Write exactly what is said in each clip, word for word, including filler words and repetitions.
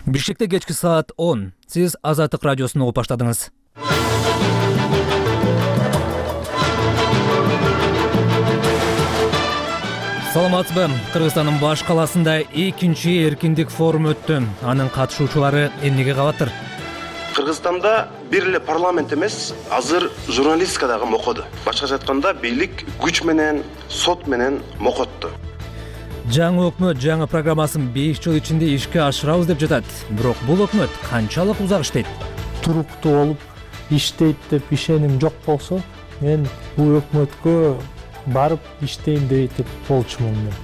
Бишкекте кечки саат он. Сиз Азаттык радиосун угуп баштадыңыз. Саламатсызбы? Кыргызстандын баш каласында экинчи эркиндик форуму өттү. Анын катышуучулары эмнеге кабаттыр? Кыргызстанда бир эле парламент эмес, азыр журналистика дагы мокоду. Башкача айтканда, бийлик күч менен, сот менен мокотту. Жаңы өкмөт жаңы программасын беш жыл ичинде ишке ашырабыз деп жатат. Бирок бул өкмөт канчалык узак иштейт? Туруктуу болуп иштейт деп ишеним жок болсо, мен бул өкмөткө барып иштейм деп болчумун мен.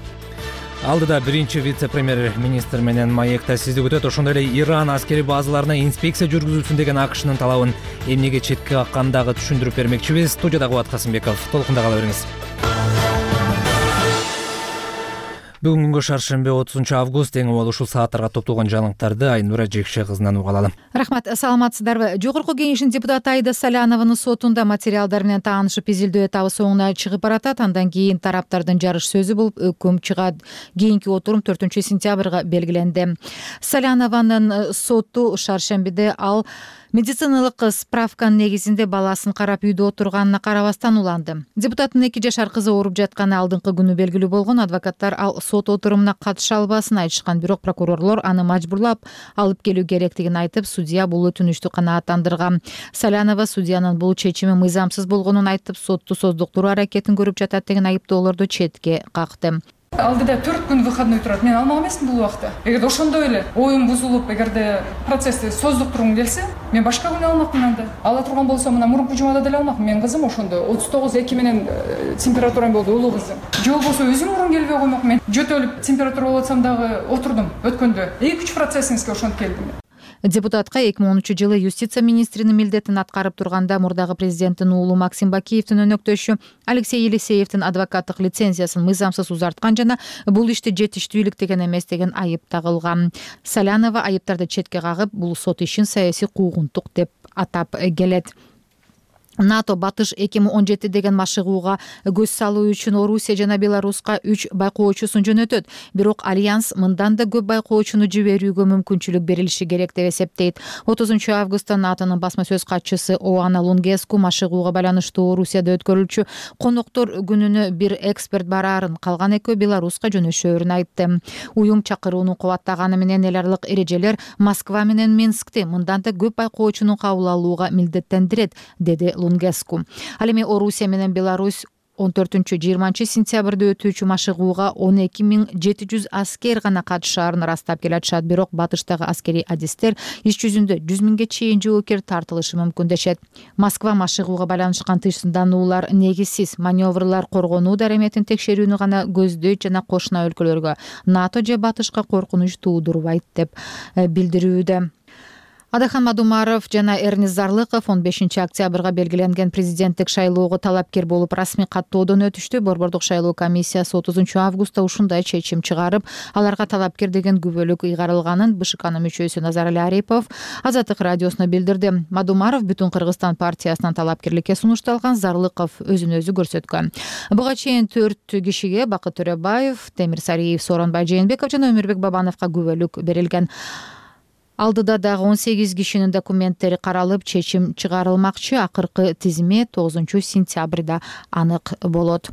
Алдыда биринчи вице-премьер-министр менен маекта сизди күтөт. Ошондой эле Иран аскери базаларына инспекция жүргүзүлсүн деген АКШнын талабын эмнеге четке каккандагы түшүндүрүп бермекчибиз. Студияда Кубат Касымбеков. Толкунда кала бериңиз. Бүгүнгү шаршемби отузунчу август эң убал ушул сааттарга топтолгон жаңылыктарды Айнура Жекше кызынан уга алалы. Рахмат, саламатсыздарбы? Жогорку кеңештин депутаты Аида Салянованын сотунда материалдар менен таанышып изилдөө этабы соңуна чыгып баратат. Андан кийин тараптардын жарыш сөзү болуп өкүм чыгат. Кийинки отурум төртүнчү сентябрга белгиленди. Салянованын соту шаршембиде ал медициналык справканын негизинде баласын карап үйдө отурганына карабастан уланды. Депутаттын эки жашар кызы ооруп жатканы алдыңкы күнү белгилүү болгон. Адвокаттар ал сот отурумуна катыша албасын айтышкан, бирок прокурорлор аны мажбурлап алып келүү керектигин айтып, судья бул өтүнүчтү канааттандырган. Салянова судьянын бул чечими мыйзамсыз болгонун айтып, сотту создуктуруу аракетин көрүп жатат деген айыптоолорду четке какты. Алдыда төрт күн выходной турат. Мен алмак эмесмин бул убакта. Эгерде ошондой эле оюм бузулуп, эгерде процессти создуктургум келсе, мен башка күнү алмакмын анда. Ала турган болсом, мына мурунку жумада деле алмакмын. Мен кызым ошондо отуз тогуз эки менен температурам болду, улуу кызым. Же болбосо өзүм мурун келбей коймокмун. Мен жөтөлүп температура болуп атсам дагы отурдум өткөндө. эки үч процессиңизге ошентип келдим. Депутатка эки миң онунчу жылы юстиция министринин милдетин аткарып турганда мурдагы президенттин уулу Максим Бакиевдин өнөктөшү Алексей Елисеевдин адвокаттык лицензиясын мыйзамсыз узарткан жана бул ишти жетиштүүлүк деген эмес деген айып тагылган. Салянова айыптарды четке кагып, бул сот ишин саясий куугунтук деп атап келет. НАТО Батыш эки миң он жети деген машыгууга көз салуу үчүн Орусия жана Беларуска үч байкоочусун жөнөтөт. Бирок Альянс мындан да көп байкоочуну жиберүүгө мүмкүнчүлүк берилиши керек деп эсептейт. отузунчу августта НАТОнун басма сөз катчысы Оана Лунгеску машыгууга байланыштуу Орусияда өткөрүлчү коноктор күнүнө бир эксперт бараарын, калган экөө Беларуска жөнөшөөрүн айтты. Уюм чакырууну кубаттаганы менен эл аралык эрежелер Москва менен Минскти мындан да көп байкоочуну кабыл алууга милдеттендирет, деди Лунгеску. Ал эми Орусия менен Беларусь он төртүнчү жыйырманчы сентябрда өтүүчү машыгууга он эки миң жети жүз аскер гана катышаарын ырастап келатышат. Бирок батыштагы аскерий адистер иш жүзүндө жүз миңге чейин жоокер тартылышы мүмкүн дешет. Москва машыгууга байланышкан тыйшындануулар негизсиз, маневрлар коргонуу дареметин текшерүүнү гана көздөйт жана кошуна өлкөлөргө НАТО же батышка коркунуч туудурбайт деп билдирүүдө. Адахан Мадумаров жана Эрнис Зарлыков он бешинчи октябрга белгиленген президенттик шайлоого талапкер болуп расмий каттоодон өтүштү. Борбордук шайлоо комиссиясы отузунчу августта ушундай чечим чыгарып, аларга талапкер деген күбөлүк ыйгарылганын БШКнын мүчөсү Назарали Арипов Азаттык радиосуна билдирди. Мадумаров Бүтүн Кыргызстан партиясынан талапкерликке сунушталган, Зарлыков өзүн өзү көрсөткөн. Буга чейин төрт кишиге Бакыт Төрөбаев, Темир Сариев, Сооронбай Жээнбеков жана Өмүрбек Бабановго күбөлүк берилген. Алдыда дагы он сегиз кишинин документтери каралып, чечим чыгарылмакчы. Акыркы тизме тогузунчу сентябрда анык болот.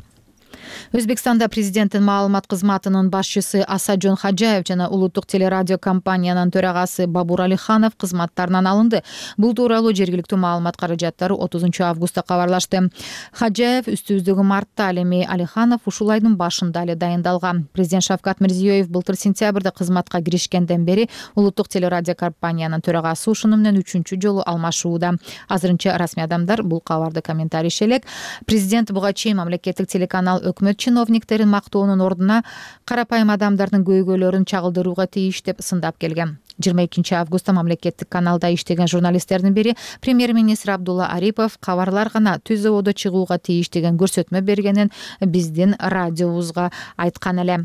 Өзбекстанда президенттин маалымат кызматынын башчысы Асаджон Хаджаев жана улуттук телерадио компаниянын төрагасы Бабур Алиханов кызматтарынан алынды. Бул тууралуу жергиликтүү маалымат каражаттары отузунчу августта кабарлашты. Хаджаев үстүбүздөгү мартта, ал эми Алиханов ушул айдын башында эле дайындалган. Президент Шавкат Мирзиёев былтыр сентябрда кызматка киришкенден бери улуттук телерадио компаниянын төрагасы ушуну менен үчүнчү жолу алмашууда. Азырынча расмий адамдар бул кабарды комментарийш элек. Президент буга чейин мамлекеттик телеканал өкмөт чиновниктерин мактоонун ордуна карапайым адамдардын көйгөйлөрүн чагылдырууга тийиш деп сындап келген. жыйырма экинчи августта мамлекеттик каналда иштеген журналисттердин бири премьер-министр Абдулла Арипов кабарлар гана түз абада чыгууга тийиш деген көрсөтмө бергенин биздин радиобузга айткан эле.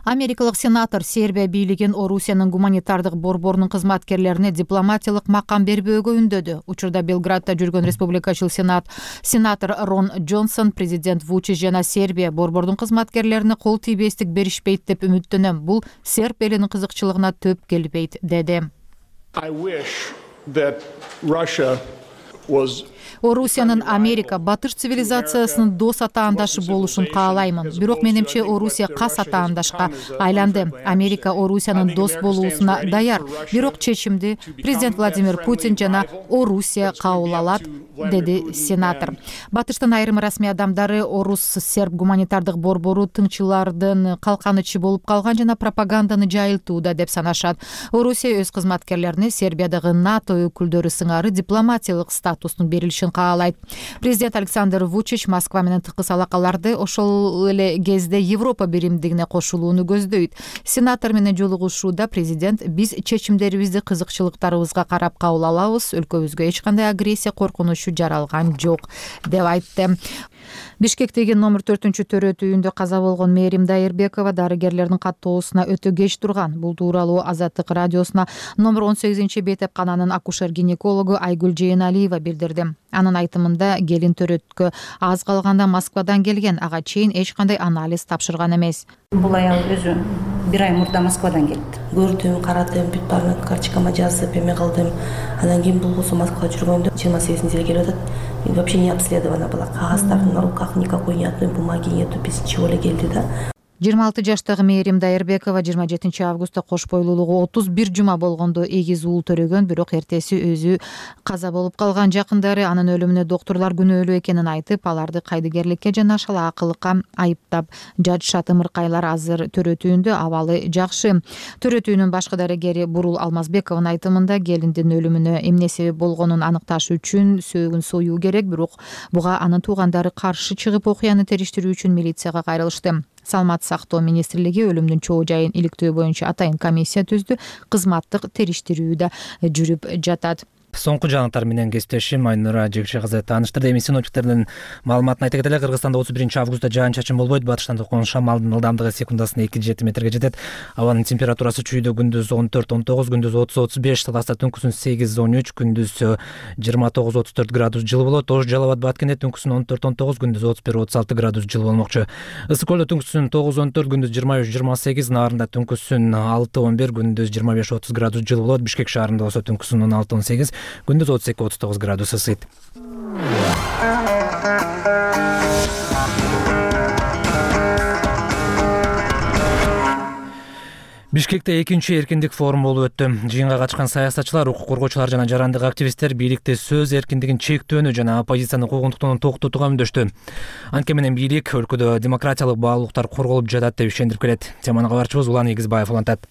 Америкалык сенатор Сербия бийлигин Орусиянын гуманитардык борборунун кызматкерлерине дипломатиялык макам бербөөгө үндөдү. Учурда Белградда жүргөн республикачыл сенат сенатор Рон Джонсон президент Вучич жана Сербия борбордун кызматкерлерине кол тийбестик беришпейт деп үмүттөнөм. Бул серб элинин кызыкчылыгына төп келбейт, деди. Орусиянын Америка батыш цивилизациясынын дос атаандашы болушун каалаймын. Бирок менимче Орусия кас атаандашка айланды. Америка Орусиянын дос болуусуна даяр. Бирок чечимди президент Владимир Путин жана Орусия кабыл алат, деди сенатор. Батыштын айрым расмий адамдары орус-серб гуманитардык борбору тыңчылардын калканычы болуп калган жана пропаганданы жайылтууда деп санашат. Орусия өз кызматкерлерине Сербиядагы НАТО өкүлдөрү сыңары дипломатиялык статустун берилишин каалайт. Президент Александр Вучич Москва менен тыкыз алакаларды ошол эле кезде Европа биримдигине кошулууну көздөйт. Сенатор менен жолугушууда президент биз чечимдерибизди кызыкчылыктарыбызга карап кабыл алабыз, өлкөбүзгө эч кандай агрессия коркунучу жаралган жок, деп айтты. Бишкектеги номер төртүнчү төрөтүүндө каза болгон Мээрим Дайырбекова дарыгерлердин каттоосуна өтө кеч турган. Бул тууралуу Азаттык радиосуна номер он сегизинчи бейтепкананын акушер-гинекологу Айгүл Жээналиева билдирди. Анын айтымында келин төрөткө аз калганда Москвадан келген, ага чейин эч кандай анализ тапшырган эмес. Бул аял өзү бир ай мурда Москвадан келди. Көрдүм, карадым, бүт баарын карточкама жазып эме кылдым. Андан кийин болгосо Москвага жүргөндө жыйырма сегизинчи эле келип атат. Вообще не обследована была. Кагаздардын на руках никакой ни одной бумаги нету, без ничего эле келди да. жыйырма алты жаштагы Мээрим Дайырбекова жыйырма жетинчи августта кош бойлуулугу отуз бир жума болгондо эгиз уул төрөгөн, бирок эртеси өзү каза болуп калган. Жакындары анын өлүмүнө доктурлар күнөөлүү экенин айтып, аларды кайдыгерликке жана шалаакылыкка айыптап жатышат. Ымыркайлар азыр төрөтүүндө, абалы жакшы. Төрөтүүнүн башкы дарыгери Бурул Алмазбековдун айтымында келиндин өлүмүнө эмне себеп болгонун аныкташ үчүн сөөгүн союу керек, бирок буга анын туугандары каршы чыгып окуяны териштирүү үчүн милицияга кайрылышты. Саламаттык сактоо министрлиги өлүмдүн чоо жайын иликтөө боюнча атайын комиссия түздү. Кызматтык териштирүү да жүрүп жатат. Соңку жаңылыктар менен кесиптешим Айнура Жекшекызы тааныштырды. Эми синоптиктердин маалыматына айта кетели, Кыргызстанда отуз биринчи августта жаан-чачын болбойт. Батыштан токкон шамалдын ылдамдыгы секундасына эки жети метрге жетет. Абанын температурасы чүйдө күндүз он төрт он тогуз, күндүз отуз отуз беш, таласта түнкүсүн сегиз он үч, күндүз жыйырма тогуз отуз төрт градус жылы болот. Ош Жалал Абад Баткенде түнкүсүн он төрт он тогуз, күндүз отуз бир отуз алты градус жылы болмокчу. Ысык Көлдө түнкүсүн тогуз он төрт, күндүз жыйырма үч жыйырма сегиз, Нарында түнкүсүн алты он бир, күндүз жыйырма беш отуз градус жылы болот. Бишкек шаарында болсо түнкүсүн он алты он сегиз, күндүз отуз эки отуз тогуз градус ысыйт. Бишкекте экинчи эркиндик форум болуп өттү. Жыйынга катышкан саясатчылар, укук коргоочулар жана жарандык активисттер бийликте сөз эркиндигин чектөөнү жана оппозициянын куугунтуктарын токтотууга үндөштү. Анткени менен бийлик өлкөдө демократиялык баалуулуктар корголуп жатат деп ишендирип келет. Теманы кабарчыбыз Улан Эгизбаев улантат.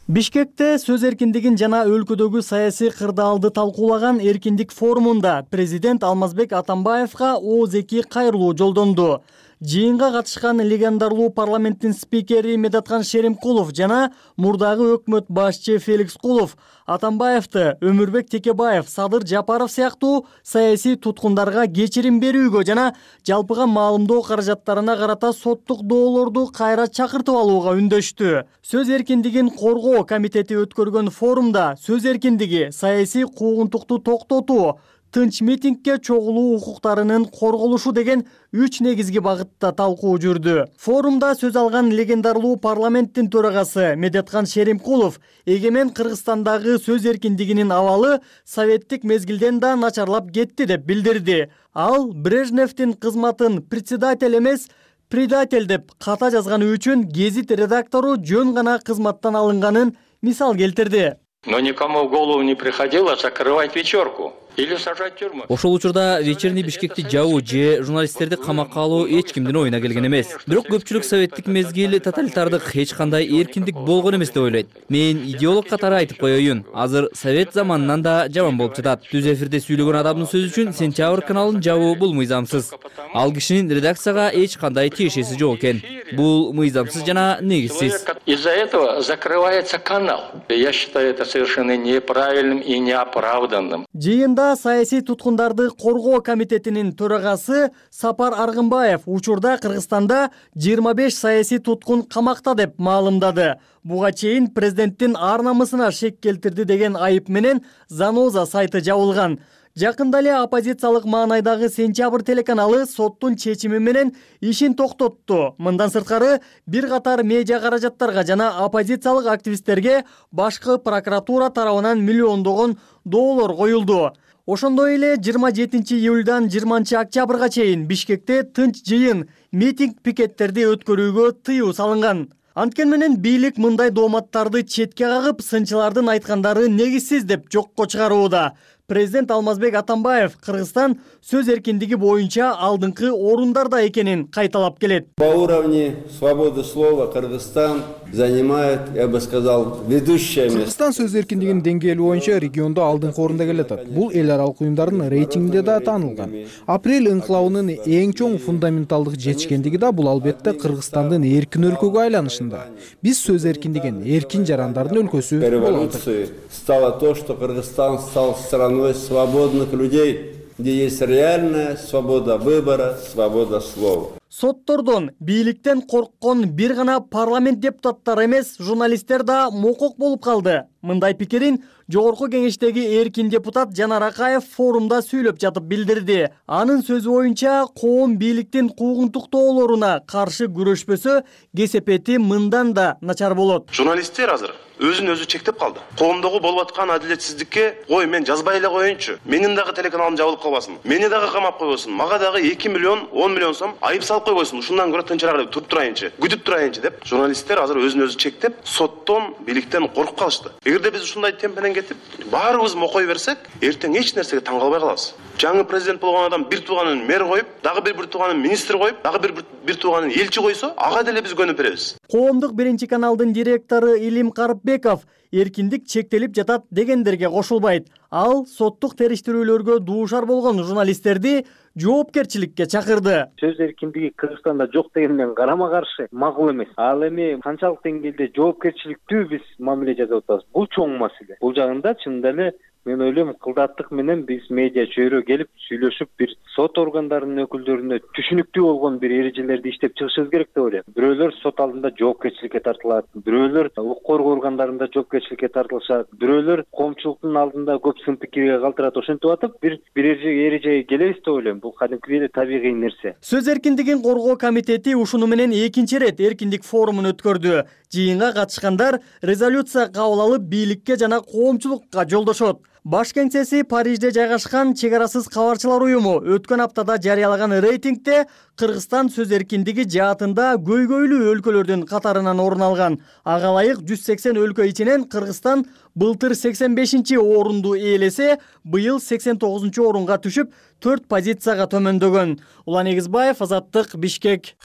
Бишкекте сөз эркиндигин жана өлкөдөгү саясий кырдаалды талкуулаган эркиндик форумунда президент Алмазбек Атамбаевга ооз-эки кайрылуу жолдонду. Жыйынга катышкан легендарлуу парламенттин спикери Медаткан Шеримкулов жана мурдагы өкмөт башчы Феликс Кулов Атамбаевди Өмүрбек Текебаев, Садыр Жапаров сыяктуу саясий туткундарга кечирим берүүгө жана жалпыга маалымдоо каражаттарына карата соттук доолорду кайра чакыртып алууга үндөштү. Сөз эркиндигин коргоо комитети өткөргөн форумда сөз эркиндиги, саясий куугунтукту токтотуу, тынч митингге чогулуу укуктарынын корголушу деген үч негизги багытта талкуу жүрдү. Форумда сөз алган легендарлуу парламенттин төрагасы Медаткан Шеримкулов эгемен Кыргызстандагы сөз эркиндигинин абалы советтик мезгилден да начарлап кетти деп билдирди. Ал Брежневдин кызматын председатель эмес, предатель деп ката жазганы үчүн гезит редактору жөн гана кызматтан алынганын мисал келтирди. Но никому в голову не приходило закрывать вечерку или сажать в тюрьму. Ошол учурда вечерний Бишкекти жабуу же журналисттерди камакка алуу эч кимдин оюна келген эмес. Бирок көпчүлүк советтик мезгил тоталитардык эч кандай эркиндик болгон эмес деп ойлойт. Мен идеолог катары айтып коеюн, азыр совет заманынан да жаман болуп жатат. Түз эфирде сүйлөгөн адамдын сөзү үчүн Сентябрь каналын жабуу бул мыйзамсыз. Ал кишинин редакцияга эч кандай тиешеси жок экен. Бул мыйзамсыз жана негизсиз. Из-за этого закрывается канал. Я считаю это совершенно неправильным и неоправданным. Жыйында Кыргызстанда саясий туткундарды коргоо комитетинин төрагасы Сапар Аргынбаев учурда Кыргызстанда жыйырма беш саясий туткун камакта деп маалымдады. Буга чейин президенттин ар намысына шек келтирди деген айып менен Заноза сайты жабылган. Жакында эле оппозициялык маанайдагы Сентябрь телеканалы соттун чечими менен ишин токтотту. Мындан сырткары бир катар медиа каражаттарга жана оппозициялык активисттерге башкы прокуратура тарабынан миллиондогон доллар коюлду. Ошондой эле жыйырма жетинчи июльдан жыйырманчы октябрга чейин Бишкекте тынч жыйын, митинг, пикеттерди өткөрүүгө тыюу салынган. Анткени менен бийлик мындай дооматтарды четке кагып, сынчылардын айткандары негизсиз деп жокко чыгарууда. Президент Алмазбек Атамбаев Кыргызстан сөз эркиндиги боюнча алдыңкы орундарда экенин кайталап келет. По уровню свободы слова Кыргызстан занимает, я бы сказал, ведущее место. Кыргызстан сөз эркиндигинин деңгээли боюнча региондо алдыңкы орунда келатат. Бул эл аралык уюмдардын рейтингинде да таанылган. Апрель инкылабынын эң чоң фундаменталдык жетишкендиги да бул албетте Кыргызстандын эркин өлкөгө айланышында. Биз сөз эркиндигин эркин жарандардын өлкөсү болуп атат. Стало то, что Кыргызстан стал страной свободных людей, где есть реальная свобода выбора, свобода слова. Соттордон, бийликтен корккон бир гана парламент депутаттары эмес, журналисттер да мокок болуп калды. Мындай пикирин Жогорку кеңештеги эркин депутат Жанар Акаев форумда сүйлөп жатып билдирди. Анын сөзү боюнча, коом бийликтин куугунтуктоолоруна каршы күрөшпөсө, кесепети мындан да начар болот. Журналисттер азыр өзүн өзү чектеп калды. Коомдогу болуп аткан адилетсиздикке, ой, мен жазбай эле коеюнчу, менин дагы телеканалым жабылып калбасын, мени дагы камап койбосун, мага дагы эки миллион он миллион сом айып салып койбойсун, ушундан көрө тынчыраак деп туруп турайынчы, күтүп турайынчы деп журналисттер азыр өзүн өзү чектеп, соттон, бийликтен коркуп калышты. Эгерде биз ушундай темп менен кетип, баарыбыз мокой берсек, эртең эч нерсеге таң калбай калабыз. Жаңы президент болгон адам бир тууганын мэр коюп, дагы бир бир тууганын министр коюп, дагы бир бир тууганын элчи койсо, ага деле биз көнүп беребиз. Коомдук биринчи каналдын директору Илим Карыпбеков эркиндик чектелип жатат дегендерге кошулбайт. Ал соттук териштирүүлөргө дуушар болгон журналисттерди жоопкерчиликке чакырды. Сөз эркиндиги Кыргызстанда жок дегенден карама каршы макул эмес. Ал эми канчалык деңгээлде жоопкерчиликтүү биз мамиле жасап атабыз. Бул чоң маселе. Бул жагында чынында эле мен ойлойм, кылдаттык менен биз медиа чөйрө келип сүйлөшүп, бир сот органдарынын өкүлдөрүнө түшүнүктүү болгон бир эрежелерди иштеп чыгышыбыз керек деп ойлойм. Бирөөлөр сот алдында жоопкерчиликке тартылат, бирөөлөр укук коргоо органдарында жоопкерчиликке тартылышат, бирөөлөр коомчулуктун алдында көп сын пикирге калтырат. Ошентип атып, бир бир эрежеге келебиз деп ойлойм. Бул кадимкидей эле табигый нерсе. Сөз эркиндигин коргоо комитети ушуну менен экинчи ирет эркиндик форумун өткөрдү. Жыйынга катышкандар резолюция кабыл алып, бийликке жана коомчулукка жолдошот. Баш кеңсеси Парижде жайгашкан Чек арасыз кабарчылар уюму өткөн аптада жарыялаган рейтингде Кыргызстан сөз эркиндиги жаатында көйгөйлүү өлкөлөрдүн катарынан орун алган. Ага ылайык жүз сексен өлкө ичинен Кыргызстан былтыр сексен бешинчи орунду ээлесе, быйыл сексен тогузунчу орунга түшүп, төрт позицияга төмөндөгөн. Улан Эгизбаев, Азаттык, Бишкек.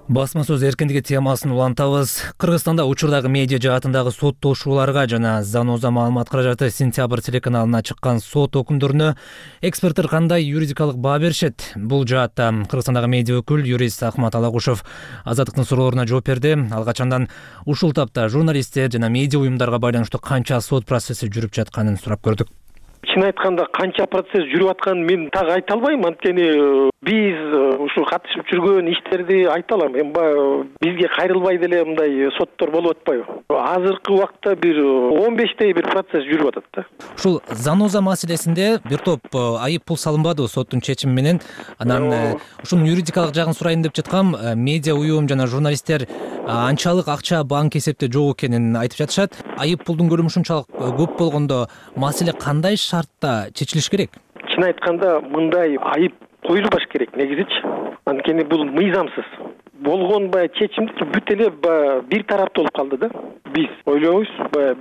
Басма сөз эркиндиги темасын улантабыз. Кыргызстанда учурдагы медиа жаатындагы соттошууларга жана Заноза маалымат каражаты Сентябрь телеканалына чыккан сот өкүмдөрүнө эксперттер кандай юридикалык баа беришет? Бул жаатта Кыргызстандагы медиа өкүл юрист Ахмат Алагушев Азаттыктын суроолоруна жооп берди. Ал качандан ушул тапта журналисттер жана медиа уюмдарга байланыштуу канча сот процесси жүрүп жатканын сурап көрдүк. Чын айтканда канча процесс жүрүп атканын мен так айта албайм, анткени биз ушу катышып жүргөн иштерди айта алам. Эми бизге кайрылбай деле мындай соттор болуп атпайбы? Азыркы убакта бир он бештей бир процесс жүрүп атат да. Ушул Заноза маселесинде бир топ айып пул салынбадыбы соттун чечими менен? Анан ушунун юридикалык жагын сурайын деп жаткам. Медиа уюм жана журналисттер анчалык акча банк эсепте жок экенин айтып жатышат. Айып пулдун көлөмү ушунчалык көп болгондо маселе кандай шартта чечилиш керек? Чын айтканда мындай айып коюлбаш керек негизичи. Анткени бул мыйзамсыз. Болгон баягы чечимди бүт эле бир тараптуу болуп калды да. Биз ойлойбуз,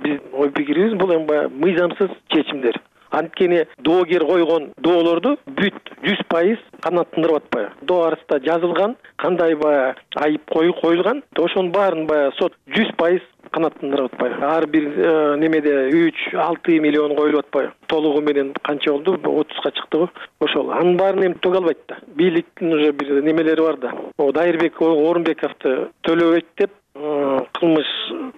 биз ой пикирибиз бул эми баягы мыйзамсыз чечимдер. Анткени доогер койгон доолорду бүт жүз пайыз канааттандырып атпайбы? Доо арасында жазылган, кандай баягы айып коюлган, ошонун баарын баягы сот жүз пайыз канааттандырып атпайбы? Ар бир немеде үч алты миллион коюлуп атпайбы? Толугу менен канча болду? отузга чыкты го. Ошол. Анын баарын эми төг албайт да. Бийликтин уже бир немелери бар да. О Дайырбек Орунбековду төлөбөйт деп кылмыш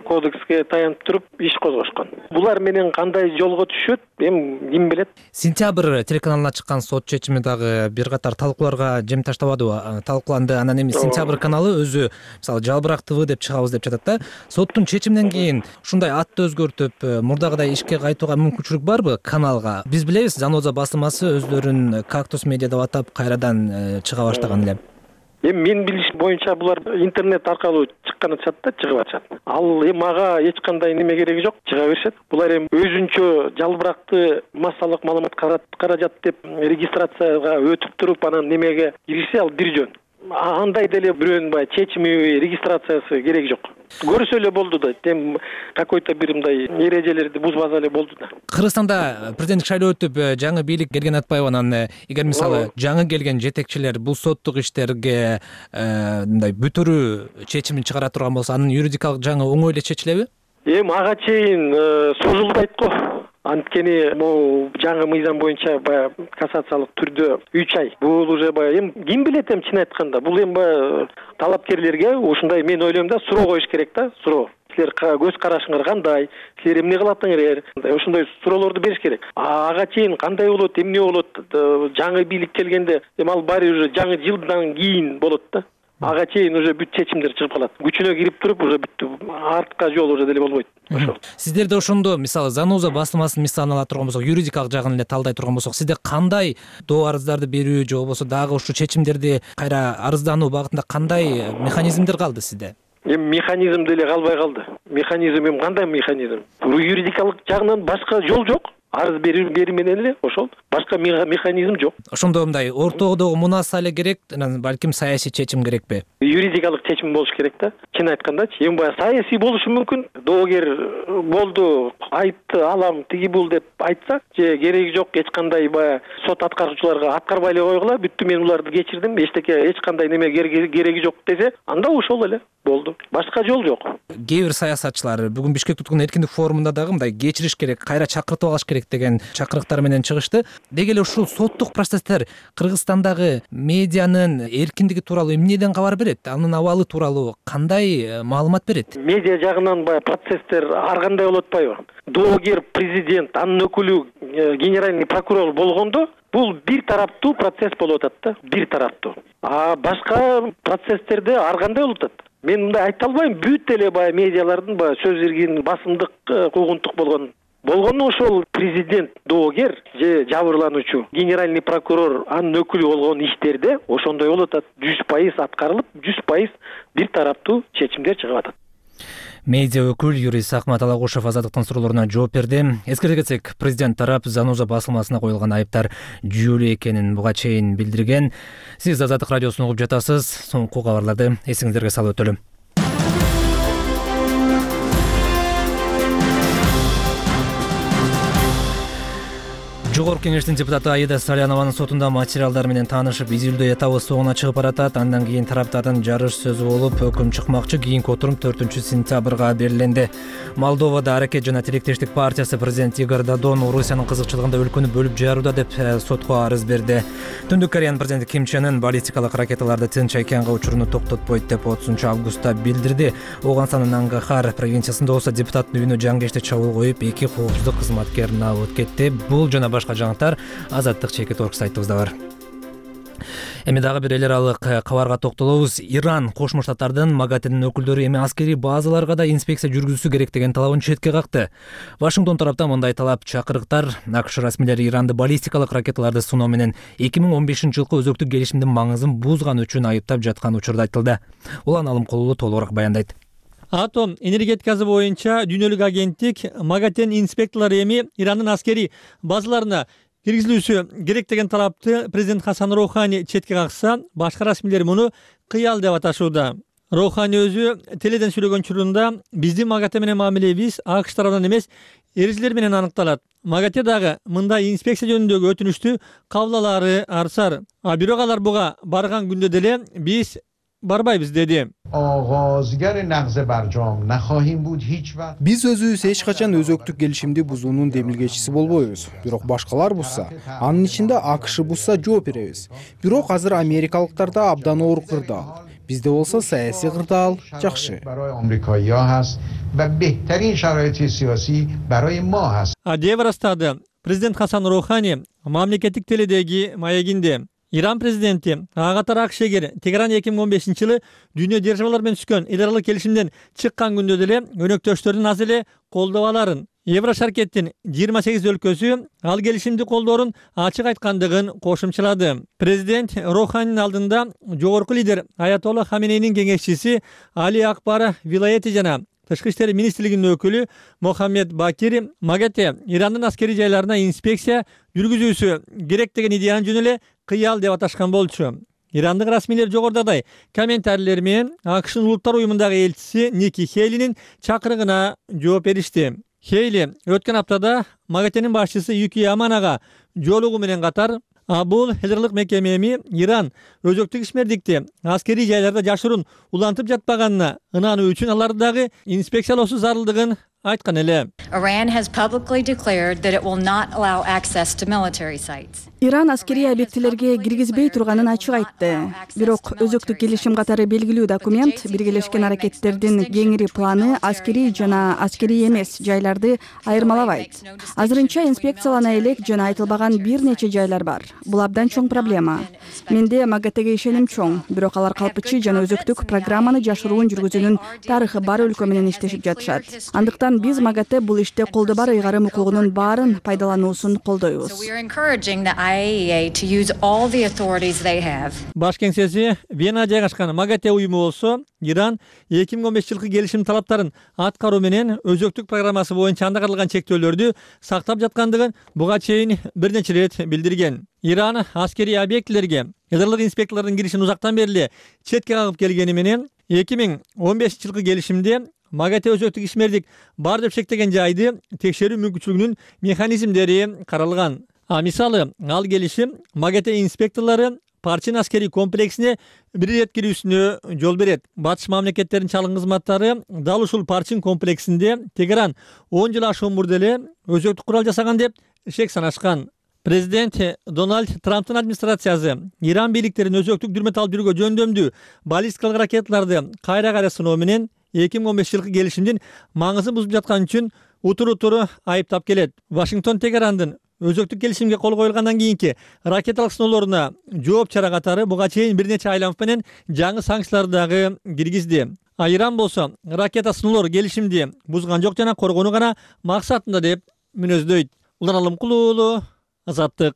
кодекске таянып туруп иш козгошкон. Булар менен кандай жолго түшөт, эми ким билет. Сентябрь телеканалына чыккан сот чечими дагы бир катар талкууларга жем таштабадыбы? Талкууланды. Анан эми Сентябрь каналы өзү мисалы жалбырак ТВ деп чыгабыз деп жатат да. Соттун чечиминен кийин ушундай атты өзгөртүп, мурдагыдай ишке кайтууга мүмкүнчүлүк барбы каналга? Биз билебиз, Заноза басылмасы өзлөрүн Кактус медиа деп атап кайрадан чыга баштаган эле. Эми мен билишим боюнча булар интернет аркылуу чыккан атышат да, чыгып атышат. Ал эми ага эч кандай неме кереги жок, чыга беришет. Булар эми өзүнчө жалбыракты массалык маалымат каражат деп регистрацияга өтүп туруп анан немеге киришсе ал бир жөн. Андай деле бирөөнүн баягы чечими, регистрациясы кереги жок. Көрсө эле болду да, тем какой-то бир мындай эрежелерди бузбаса эле болду да. Кыргызстанда президенттик шайлоо өтүп, жаңы бийлик келген атпайбы? Анан эгер мисалы жаңы келген жетекчилер бул соттук иштерге мындай бүтүрүү чечимин чыгара турган болсо, анын юридикалык жаңы оңой эле чечилеби? Эми ага чейин созулбайт го. Анткени могу жаңы мыйзам боюнча баягы кассациялык түрдө үч ай. Бул уже баягы эми ким билет эми чын айтканда. Бул эми баягы талапкерлерге ушундай мен ойлойм да, суроо коюш керек да, суроо. Силер көз карашыңар кандай? Силер эмне кылатыңар? Ошондой суроолорду бериш керек. Ага чейин кандай болот, эмне болот? Жаңы бийлик келгенде эми ал баары уже жаңы жылдан кийин болот да. Ага чейин уже бүт чечимдер чыгып калат. Күчүнө кирип туруп уже бүттү. Артка жол уже деле болбойт. Ошол. Сиздерде ошондо мисалы Заноза басылмасын мисалын ала турган болсок, юридикалык жагын эле талдай турган болсок, сизде кандай доо арыздарды берүү же болбосо дагы ушул чечимдерди кайра арыздануу багытында кандай механизмдер калды сизде? Эми механизм деле калбай калды. Механизм эми кандай механизм? Юридикалык жагынан башка жол жок. Арыз берүү менен эле ошол. Башка механизм жок. Ошондо мындай ортодогу мунаса эле керек, анан балким саясий чечим керекпи? Юридикалык чечим болуш керек да. Чын айткандачы, эми баягы саясий болушу мүмкүн. Доогер болду, айтты, алам, тиги бул деп айтса, же кереги жок, эч кандай баягы сот аткаруучуларга аткарбай эле койгула, бүттү, мен уларды кечирдим, эчтеке эч кандай неме кереги жок десе, анда ошол эле болду. Башка жол жок. Кээ бир саясатчылар бүгүн Бишкекте өткөн эркиндик форумунда дагы мындай кечириш керек, кайра чакыртып алыш керек деген чакырыктар менен чыгышты. Деги эле ушул соттук процесстер Кыргызстандагы медианын эркиндиги тууралуу эмнеден кабар берет? Анын абалы тууралуу кандай маалымат берет? Медиа жагынан баягы процесстер ар кандай болуп атпайбы? Доогер президент, анын өкүлү генеральный прокурор болгондо бул бир тараптуу процесс болуп атат да, бир тараптуу. А башка процесстерде ар кандай болуп атат? Мен мындай айта албайм, бүт эле баягы медиалардын баягы сөз эркин, басымдык, куугунтук болгон. Болгону ошол президент, доогер же жабырлануучу, генеральный прокурор, анын өкүлү болгон иштерде ошондой болуп атат. жүз пайыз аткарылып, жүз пайыз бир тараптуу чечимдер чыгып атат. Медиа өкүл юрист Акмат Алагушев Азаттыктын суроолоруна жооп берди. Эскерте кетсек, президент тарап Заноза басылмасына коюлган айыптар жүйөлүү экенин буга чейин билдирген. Сиз Азаттык радиосун угуп жатасыз. Соңку кабарларды эсиңиздерге салып өтөлүм. Жогорку кеңештин депутаты Аида Салянованын сотунда материалдар менен таанышып, изилдөө этабы соңуна чыгып баратат. Андан кийин тараптардын жарыш сөзү болуп, өкүм чыкмакчы. Кийинки отурум төртүнчү сентябрга бериленди. Молдовада Аракет жана Тилектештик партиясы президент Игорь Додон Орусиянын кызыкчылыгында өлкөнү бөлүп жарууда деп сотко арыз берди. Түндүк Кореянын президенти Ким Чен Ын баллистикалык ракеталарды Тынч океанга учуруну токтотпойт деп отузунчу августта билдирди. Оганстанын Ангахар провинциясында болсо депутаттын үйүнө жангечте чабуул коюп, эки коопсуздук кызматкерин алып кетти. Бул жана башка жаңылыктар Азаттык чекит орг сайтыбызда бар. Эми дагы бир эл аралык кабарга токтолобуз. Иран Кошмо Штаттардын МАГАТЭнин өкүлдөрү эми аскерий базаларга да инспекция жүргүзүшү керек деген талабын четке какты. Вашингтон тараптан мындай талап чакырыктар АКШ расмийлери Иранды баллистикалык ракеталарды суноо менен эки миң он бешинчи жылкы өзөктүк келишимдин маңызын бузган үчүн айыптап жаткан учурда айтылды. Улан Алымкулуу толугураак баяндайт. Атом энергетикасы боюнча дүйнөлүк агенттик МАГАТЭн инспекторлору эми Ирандын аскерий базаларына киргизилүүсү керек деген талапты президент Хасан Роухани четке какса, башка расмийлер муну кыял деп аташууда. Роухани өзү теледен сүйлөгөн учурунда биздин МАГАТЭ менен мамилебиз АКШ тарабынан эмес, эрежелер менен аныкталат. МАГАТЭ дагы мындай инспекция жөнүндөгү өтүнүчтү кабыл алаары арсар. А бирок алар буга барган күндө деле биз барбайбыз деди. Биз өзүбүз эч качан өзөктүк келишимди бузуунун демилгечиси болбойбуз. Бирок башкалар бузса, анын ичинде АКШ бузса жооп беребиз. Бирок азыр америкалыктарда абдан оор кырдаал. Бизде болсо саясий кырдаал жакшы. Деп ырастады президент Хасан Роухани мамлекеттик теледеги маегинде. Иран президенти ага катар АКШ эгер Тегеран эки миң он бешинчи жылы дүйнө державалар менен түзгөн эл аралык келишимден чыккан күндө деле өнөктөштөрүн аз эле колдоп аларын, Еврошаркеттин жыйырма сегиз өлкөсү ал келишимди колдоорун ачык айткандыгын кошумчалады. Президент Роуханинин алдында жогорку лидер Аятолла Хаменейнин кеңешчиси Али Акбар Вилаети жана Тышкы иштер министрлигинин өкүлү Мохаммед Бакир МАГАТЭ Ирандын аскерий жайларына инспекция жүргүзүүсү керек деген идеяны жөн эле кыял деп аташкан болчу. Ирандык расмийлер жогорудагы комментарийлер менен АКШнын улуттар уюмундагы элчиси Ники Хейлинин чакырыгына жооп беришти. Хейли өткөн аптада МАГАТЭнин башчысы Юки Яманага жолугуу менен катар бул эл аралык мекемеми Иран өзөктүк ишмердикти аскерий жайларда жашыруун улантып жатпаганына ынануу үчүн аларды дагы инспекциялоосу зарылдыгын айткан эле. Iran has publicly declared that it will not allow access to military sites. Иран аскерий объектилерге киргизбей турганын ачык айтты. Бирок өзөктүк келишим катары белгилүү документ Биргелешкен аракеттердин кеңири планы аскерий жана аскерий эмес жайларды айырмалабайт. Азырынча инспекциялана элек жана айтылбаган бир нече жайлар бар. Бул абдан чоң проблема. Менде МАГАТЭге ишеним чоң, бирок алар калпычы жана өзөктүк программаны жашыруун жүргүзүүнүн тарыхы бар өлкө менен иштешип жатышат. Андыктан биз МАГАТЭ бул иште колдо бар ыйгарым укугунун баарын пайдалануусун колдойбуз. Баш кеңсеси Вена жайгашкан МАГАТЭ уюму болсо Иран эки миң он беш жылкы келишим талаптарын аткаруу менен өзөктүк программасы боюнча анда каралган чектөөлөрдү сактап жаткандыгын буга чейин бир нече ирет билдирген. Иран аскерий объектилерге эл аралык инспекторлордун киришин узактан бери четке кагып келгени менен эки миң он бешинчи жылкы келишимде МАГАТЭ өзөктүк ишмердик бар деп шектеген жайды текшерүү мүмкүнчүлүгүнүн механизмдери каралган. А мисалы ал келишим МАГАТЭ инспекторлору Парчин аскерий комплексине бир ирет кирүүсүнө жол берет. Батыш мамлекеттеринин чалгын кызматтары дал ушул Парчин комплексинде Тегеран он жыл ашуун мурда эле өзөктүк курал жасаган деп шек санашкан. Президент Дональд Трамптын администрациясы Иран бийликтерин өзөктүк дүрмөт алып жүрүүгө жөндөмдүү баллистикалык ракеталарды кайра кайра сыноо менен эки миң он беш жылкы келишимдин маңызын бузуп жаткан үчүн утур-утур айыптап келет. Вашингтон Тегерандын өзөктүк келишимге кол коюлгандан кийинки ракеталык сыноолоруна жооп чара катары буга чейин бир нече айланып менен жаңы санкцияларды дагы киргизди. А Иран болсо ракета сыноолор келишимди бузган жок жана коргонуу гана максатында деп мүнөздөйт. Улан Алымкулуу уулу, Азаттык.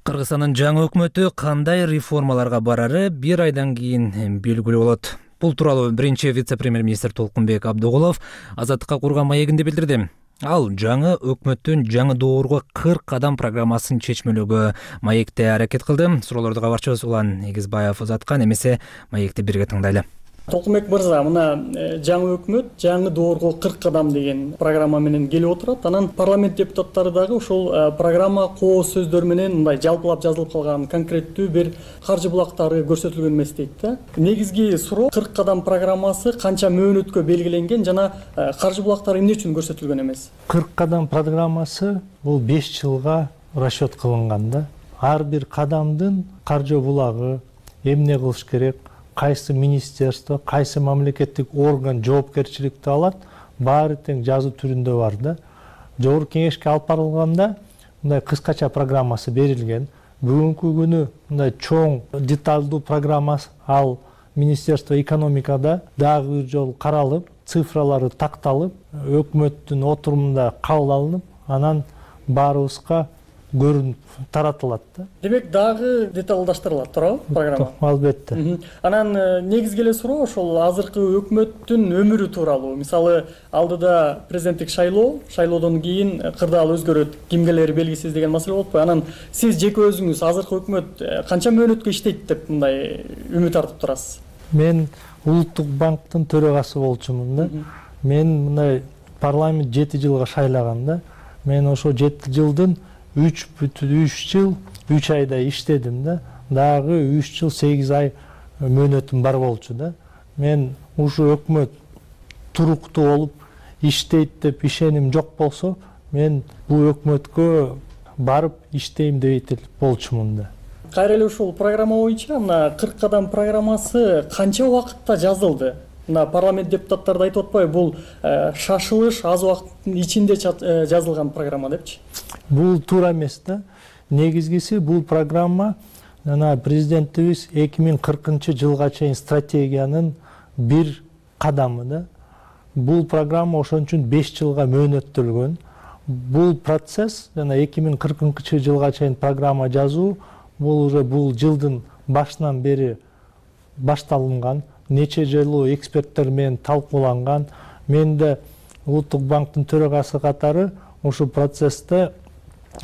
Кыргызстандын жаңы өкмөтү кандай реформаларга барары бир айдан кийин белгилүү болот. Бул тууралуу биринчи вице-премьер-министр Толкунбек Абдыгулов Азаттыкка курган маегинде билдирди. Ал жаңы өкмөттүн жаңы доорго кырк кадам программасын чечмелөөгө маекте аракет кылды. Суроолорду кабарчыбыз Улан Эгизбаев узаткан, эмесе маекти бирге тыңдайлы. Толкунбек мырза, мына жаңы өкмөт жаңы доорго кырк кадам деген программа менен келип отурат. Анан парламент депутаттары дагы ушул программа кооз сөздөр менен мындай жалпылап жазылып калган конкреттүү бир каржы булактары көрсөтүлгөн эмес дейт да. Негизги суроо кырк кадам программасы канча мөөнөткө белгиленген жана каржы булактары эмне үчүн көрсөтүлгөн эмес? кырк кадам программасы бул беш жылга расчет кылынган да. Ар бир кадамдын каржы булагы, эмне кылыш керек, кайсы министерство, кайсы мамлекеттик орган жоопкерчиликти алат, баары тең жазуу түрүндө бар да. Жогорку кеңешке алып барылганда мындай кыскача программасы берилген. Бүгүнкү күнү мындай чоң деталдуу программа ал Министерство экономикада дагы бир жолу каралып, цифралары такталып, өкмөттүн отурумунда кабыл алынып, анан баарыбызга көрүнүп таратылат да. Демек дагы деталдаштырылат, туурабы программа? Албетте. Анан негизги эле суроо ошол азыркы өкмөттүн өмүрү тууралуу. Мисалы, алдыда президенттик шайлоо, шайлоодон кийин кырдаал өзгөрөт, кимгелери белгисиз деген маселе болуп кой. Анан сиз жеке өзүңүз азыркы өкмөт канча мөөнөткө иштейт деп мындай үмүт артып турасыз? Мен Улуттук банктын төрагасы болчумун да. Мен мындай парламент жети жылга шайлаган да. Мен ошо жети жылдын үч бүтүн үч жыл үч айда иштедим да, дагы үч жыл сегиз ай мөөнөтүм бар болчу да. Мен ушу өкмөт туруктуу болуп иштейт деп ишеним жок болсо, мен бул өкмөткө барып иштейм деп болчумун да. Кайра эле ушул программа боюнча мына кырк кадам программасы канча убакытта жазылды? Мына парламент депутаттары да айтып атпайбы, бул шашылыш аз убакыттын ичинде жазылган программа депчи? Бул туура эмес да. Негизгиси бул программа жана президентибиз эки миң кыркынчы жылга чейин стратегиянын бир кадамы да. Бул программа ошон үчүн беш жылга мөөнөттөлгөн. Бул процесс жана эки миң кыркынчы жылга чейин программа жазуу бул уже бул жылдын башынан бери башталынган, нече жолу эксперттер менен талкууланган. Мен да Улуттук банктын төрагасы катары ушул процессте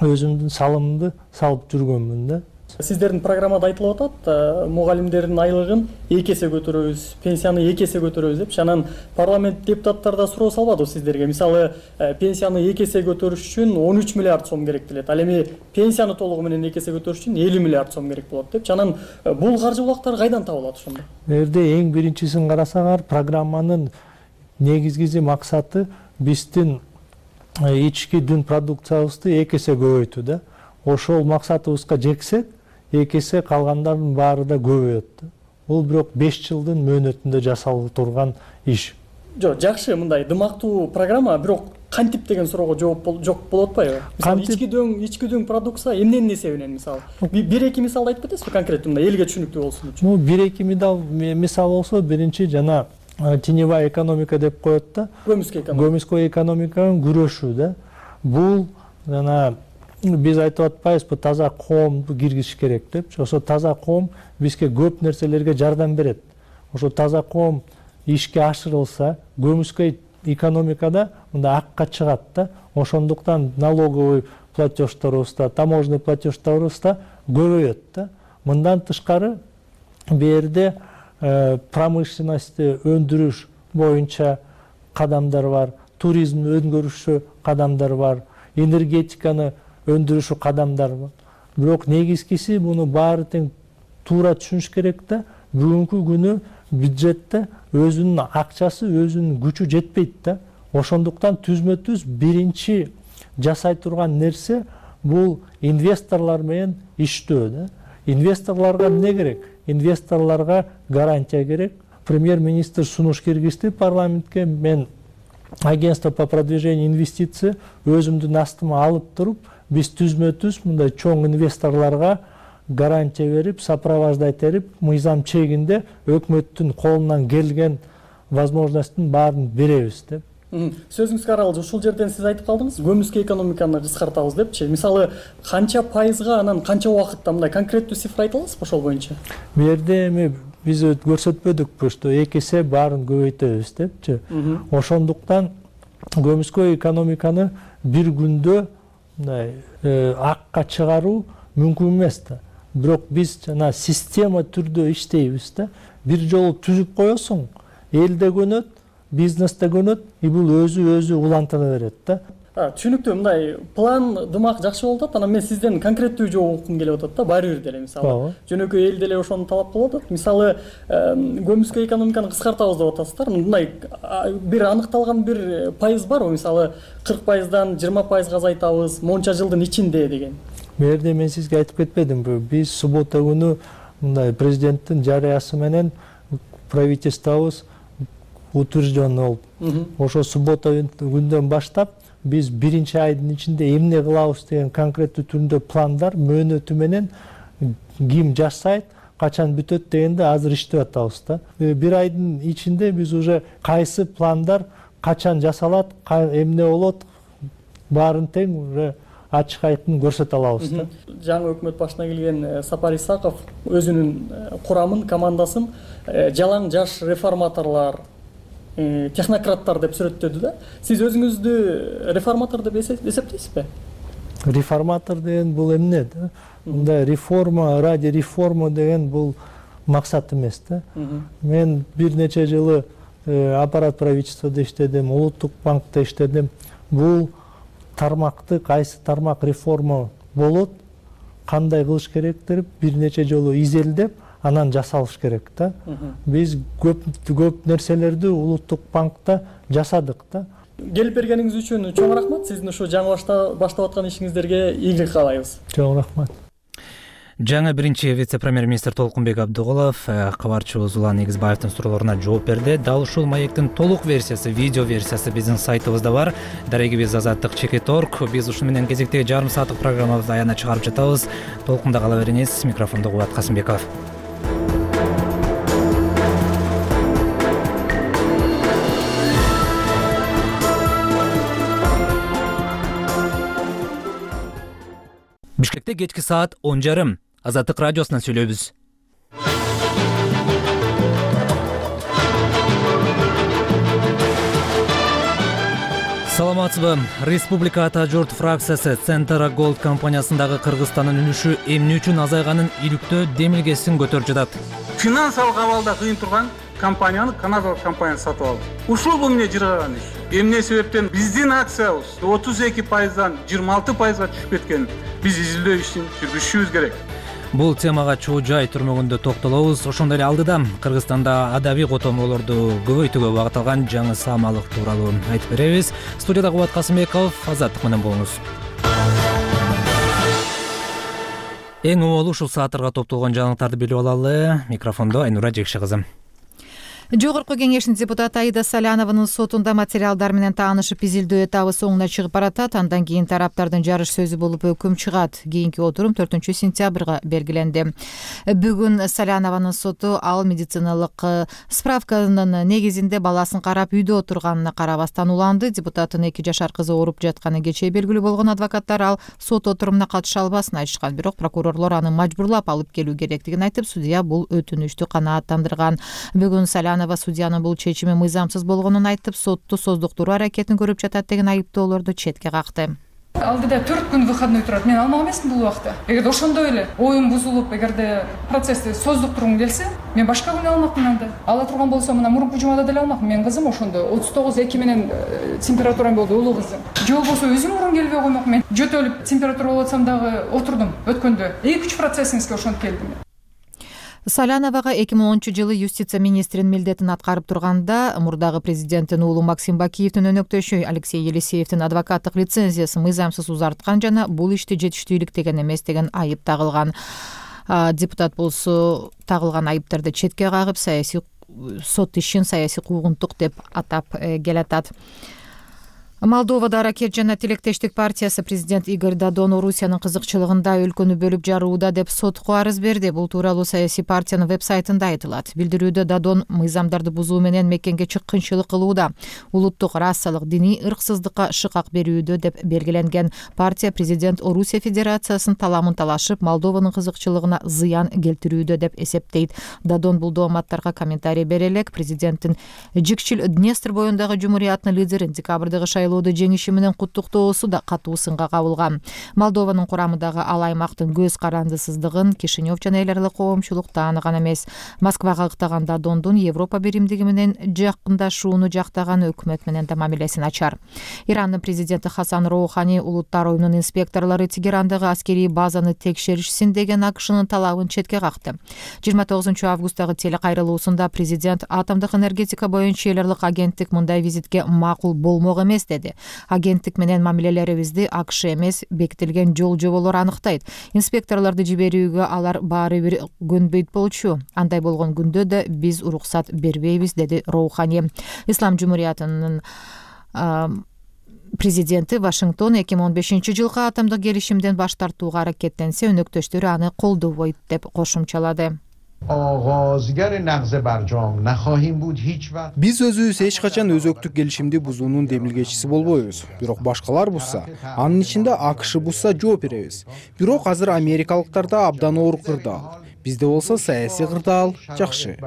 өзүмдүн салымымды салып жүргөнмүн да. Сиздердин программада айтылып атат, мугалимдердин айлыгын эки эсе көтөрөбүз, пенсияны эки эсе көтөрөбүз деп. Анан парламент депутаттары да суроо салбадыбы сиздерге? Мисалы, пенсияны эки эсе көтөрүш үчүн он үч миллиард сом керек делет. Ал эми пенсияны толугу менен эки эсе көтөрүш үчүн элүү миллиард сом керек болот деп. Анан бул каржы булактар кайдан табылат ошондо? Эрде эң биринчисин карасаңар, программанын негизги максаты биздин ички дүн продукциябызды эки эсе көбөйтүү да. Ошол максатыбызга жетсек, эки эсе калгандардын баары да көбөйөт. Бул бирок беш жылдын мөөнөтүндө жасалып турган иш. Жок, жакшы, мындай дымактуу программа, бирок кантип деген суроого жооп жок болуп атпайбы? Мисалы, ички дөң, ички дөң продукция эмненин эсебинен, мисалы? бир эки мисалды айтып кетесизби конкреттүү, мындай элге түшүнүктүү болсун үчүн? Ну, бир эки мисал болсо, биринчи жана теневая экономика деп коет да. Көмүскө экономика. Көмүскө экономиканын күрөшүү да. Бул жана биз айтып атпайбызбы, таза коомду киргизиш керек деп. Ошо таза коом бизге көп нерселерге жардам берет. Ошо таза коом ишке ашырылса, көмүскө экономикада мында акка чыгат да. Ошондуктан налоговый платежторубуз да, таможенный платежторубуз да көбөйөт да. Мындан тышкары берде промышленности өндүрүш боюнча кадамдар бар, туризмди өндүрүшү кадамдар бар, энергетиканы өндүрүшү кадамдар бар. Бирок негизгиси муну баары тең туура түшүнүш керек да. Бүгүнкү күнү бюджетте өзүнүн акчасы, өзүнүн күчү жетпейт да. Ошондуктан түзмө-түз биринчи жасай турган нерсе бул инвесторлор менен иштөө да. Инвесторлорго эмне керек? Инвесторлорго гарантия керек. Премьер-министр сунуш киргизди парламентке. Мен агентство по продвижению инвестиций өзүмдүн астыма алып туруп, биз түзмө-түз мындай чоң инвесторлорго гарантия берип, сопровождать этип, мыйзам чегинде өкмөттүн колунан келген возможносттун баарын беребиз деп. Сөзүңүзгө аралуу, ушул жерден сиз айтып калдыңыз, көмүскө экономиканы кыскартабыз депчи. Мисалы, канча пайызга, анан канча убакытта, мындай конкреттүү цифра айта аласызбы ошол боюнча? Бу жерде эми биз көрсөтпөдүкпү, что эки эсе баарын көбөйтөбүз депчи. Ошондуктан көмүскө экономиканы бир күндө мындай акка чыгаруу мүмкүн эмес да. Бирок биз жана система түрдө иштейбиз да. Бир жолу түзүп коесуң, эл да көнөт, бизнес да көнөт, и бул өзү өзү улантына берет да. Түшүнүктүү, мындай план дымак жакшы болуп атат. Анан мен сизден конкреттүү жооп уккум келип атат да, баары бир деле мисалы. Жөнөкөй эл деле ошону талап кылып атат. Мисалы, көмүскө экономиканы кыскартабыз деп атасыздар. Мындай бир аныкталган бир пайыз барбы? Мисалы, кырк пайыздан жыйырма пайызга азайтабыз, монча жылдын ичинде деген. Бу жерде мен сизге айтып кетпедимби? Биз суббота күнү мындай президенттин жарыясы менен правительствобуз утвержден болуп, ошо суббота күндөн баштап биз биринчи айдын ичинде эмне кылабыз деген конкреттүү түрүндө пландар мөөнөтү менен ким жасайт, качан бүтөт дегенде азыр иштеп атабыз да. Бир айдын ичинде биз уже кайсы пландар качан жасалат, эмне болот, баарын тең уже ачык айтын көрсөтө алабыз да. Жаңы өкмөт башына келген Сапар Исаков өзүнүн курамын, командасын жалаң жаш реформаторлор, технократтар деп сүрөттөдү да. Сиз өзүңүздү реформатор деп эсептейсизби? Реформатор деген бул эмне да? Мындай реформа ради реформа деген бул максат эмес да. Мен бир нече жылы аппарат правительствода иштедим, Улуттук банкта иштедим. Бул тармакты, кайсы тармак реформа болот, кандай кылыш керек деп бир нече жолу изилдеп анан жасалыш керек да. Биз көп көп нерселерди улуттук банкта жасадык да. Келип бергениңиз үчүн чоң рахмат. Сиздин ушу жаңы баштап аткан ишиңиздерге ийгилик каалайбыз. Чоң рахмат. Жаңы биринчи вице-премьер-министр Толкунбек Абдыгулов кабарчыбыз Улан Негизбаевдин суроолоруна жооп берди. Дал ушул маектин толук версиясы, видео версиясы биздин сайтыбызда бар. Дарегибиз азаттык чекит точка орг. Биз ушу менен кезектеги жарым сааттык программабызды аягына чыгарып жатабыз. Толкунда кала бериңиз. Микрофондо Кубат Касымбеков. Бишкекте кечки саат он жарым. Азаттык радиосунан сүйлөйбүз. Саламатсызбы? Республика Ата Журт фракциясы Центра Голд компаниясындагы Кыргызстандын үлүшү эмне үчүн азайганын иликтөө демилгесин көтөрүп жатат. Финансалык абалда кыйын турган компанияны канадалык компания сатып алды. Ушул бул эмне жыргаган иш. Эмне себептен биздин акциябыз отуз эки пайыздан жыйырма алты пайызга түшүп кеткен. Биз изилдөө ишин жүргүзүшүбүз керек. Бул темага чуу жай түрмөгүндө токтолобуз. Ошондой эле алдыда Кыргызстанда адабий котомолорду көбөйтүүгө багытталган жаңы саамалык тууралуу айтып беребиз. Студияда Кубат Касымбеков, азаттык менен болуңуз. Эң оолу ушул сааттарга топтолгон жаңылыктарды билип алалы. Микрофондо Айнура Жекши кызы. Жогорку кеңештин депутаты Аида Салянованын сотунда материалдар менен таанышып изилдөө этабы соңуна чыгып баратат. Андан кийин тараптардын жарыш сөзү болуп өкүм чыгат. Кийинки отурум төртүнчү сентябрга белгиленди. Бүгүн Салянованын соту ал медициналык справканын негизинде баласын карап үйдө отурганына карабастан уланды. Депутаттын эки жашар кызы ооруп жатканы кечээ белгилүү болгон адвокаттар ал сот отурумуна катыша албасын айтышкан. Бирок прокурорлор аны мажбурлап алып келүү керектигин айтып, судья бул өтүнүштү канааттандырган. Бүгүн Салянова судьянын бул чечими мыйзамсыз болгонун айтып, сотту создуктуруу аракетин көрүп жатат деген айыптоолорду четке какты. Алдыда төрт күн выходной турат. Мен алмак эмесмин бул убакта. Эгерде ошондой эле оюм бузулуп, эгерде процессти создуктургум келсе, мен башка күнү алмакмын анда. Ала турган болсо, мына мурунку жумада деле алмакмын. Мен кызым ошондо отуз тогуз эки менен температурам болду, улуу кызым. Же болбосо өзүм мурун келбей коймок. Мен жөтөлүп температура болуп атсам дагы отурдум өткөндө. эки үч процессиңизге ошентип келдим. Саляновага эки миң онунчу жылы юстиция министринин милдетин аткарып турганда мурдагы президенттин уулу Максим Бакиевдин өнөктөшү Алексей Елисеевдин адвокаттык лицензиясын мыйзамсыз узарткан жана бул ишти жетиштүүлүктөгөн эмес деген айып тагылган. Депутат болсо тагылган айыптарды четке кагып, саясий сот ишин саясий куугунтук деп атап келатат. Молдовада Аракет жана Тилектештик партиясы президент Игорь Дадон Орусиянын кызыкчылыгында өлкөнү бөлүп жарууда деп сотко арыз берди. Бул тууралуу саясий партиянын веб-сайтында айтылат. Билдирүүдө Дадон мыйзамдарды бузуу менен мекенге чыккынчылык кылууда, улуттук, расалык, диний ырксыздыкка шыкак берүүдө деп белгиленген. Партия президент Орусия Федерациясынын таламын талашып, Молдованын кызыкчылыгына зыян келтирүүдө деп эсептейт. Дадон бул дооматтарга комментарий бере элек президенттин Жикчил Днестр боюндагы жумурияттын лидерин декабрдагы шайлоодо жеңиши менен куттуктоосу да катуу сынга кабылган. Молдованын курамындагы ал аймактын көз карандысыздыгын Кишинев жана эл аралык коомчулук тааныган эмес. Москвага ыктаган Дадондун Европа биримдиги менен жакындашууну жактаган, өкмөт менен да мамилесин ачар. Ирандын президенти Хасан Роухани улуттар оюнунун инспекторлору Тегерандагы аскерий базаны текшеришсин деген АКШнын талабын четке какты. жыйырма тогузунчу августтагы телекайрылуусунда президент атомдук энергетика боюнча эл аралык агенттик мындай визитке макул болмок эмес деди. Агенттик менен мамилелерибизди АКШ эмес, бекитилген жол жоболор аныктайт. Инспекторлорду жиберүүгө алар баары бир көнбөйт болчу. Андай болгон күндө да биз уруксат бербейбиз, деди Роухани. Ислам жумуриятынын президенти Вашингтон эки миң он бешинчи жылкы атомдук келишимден баш тартууга аракеттенсе, өнөктөштөрү аны колдобойт деп кошумчалады. Биз өзүбүз эч качан өзөктүк келишимди бузуунун демилгечиси болбойбуз. Бирок башкалар бузса, анын ичинде АКШ бузса жооп беребиз. Бирок азыр америкалыктарда абдан оор кырдаал. Бизде болсо саясий кырдаал жакшы.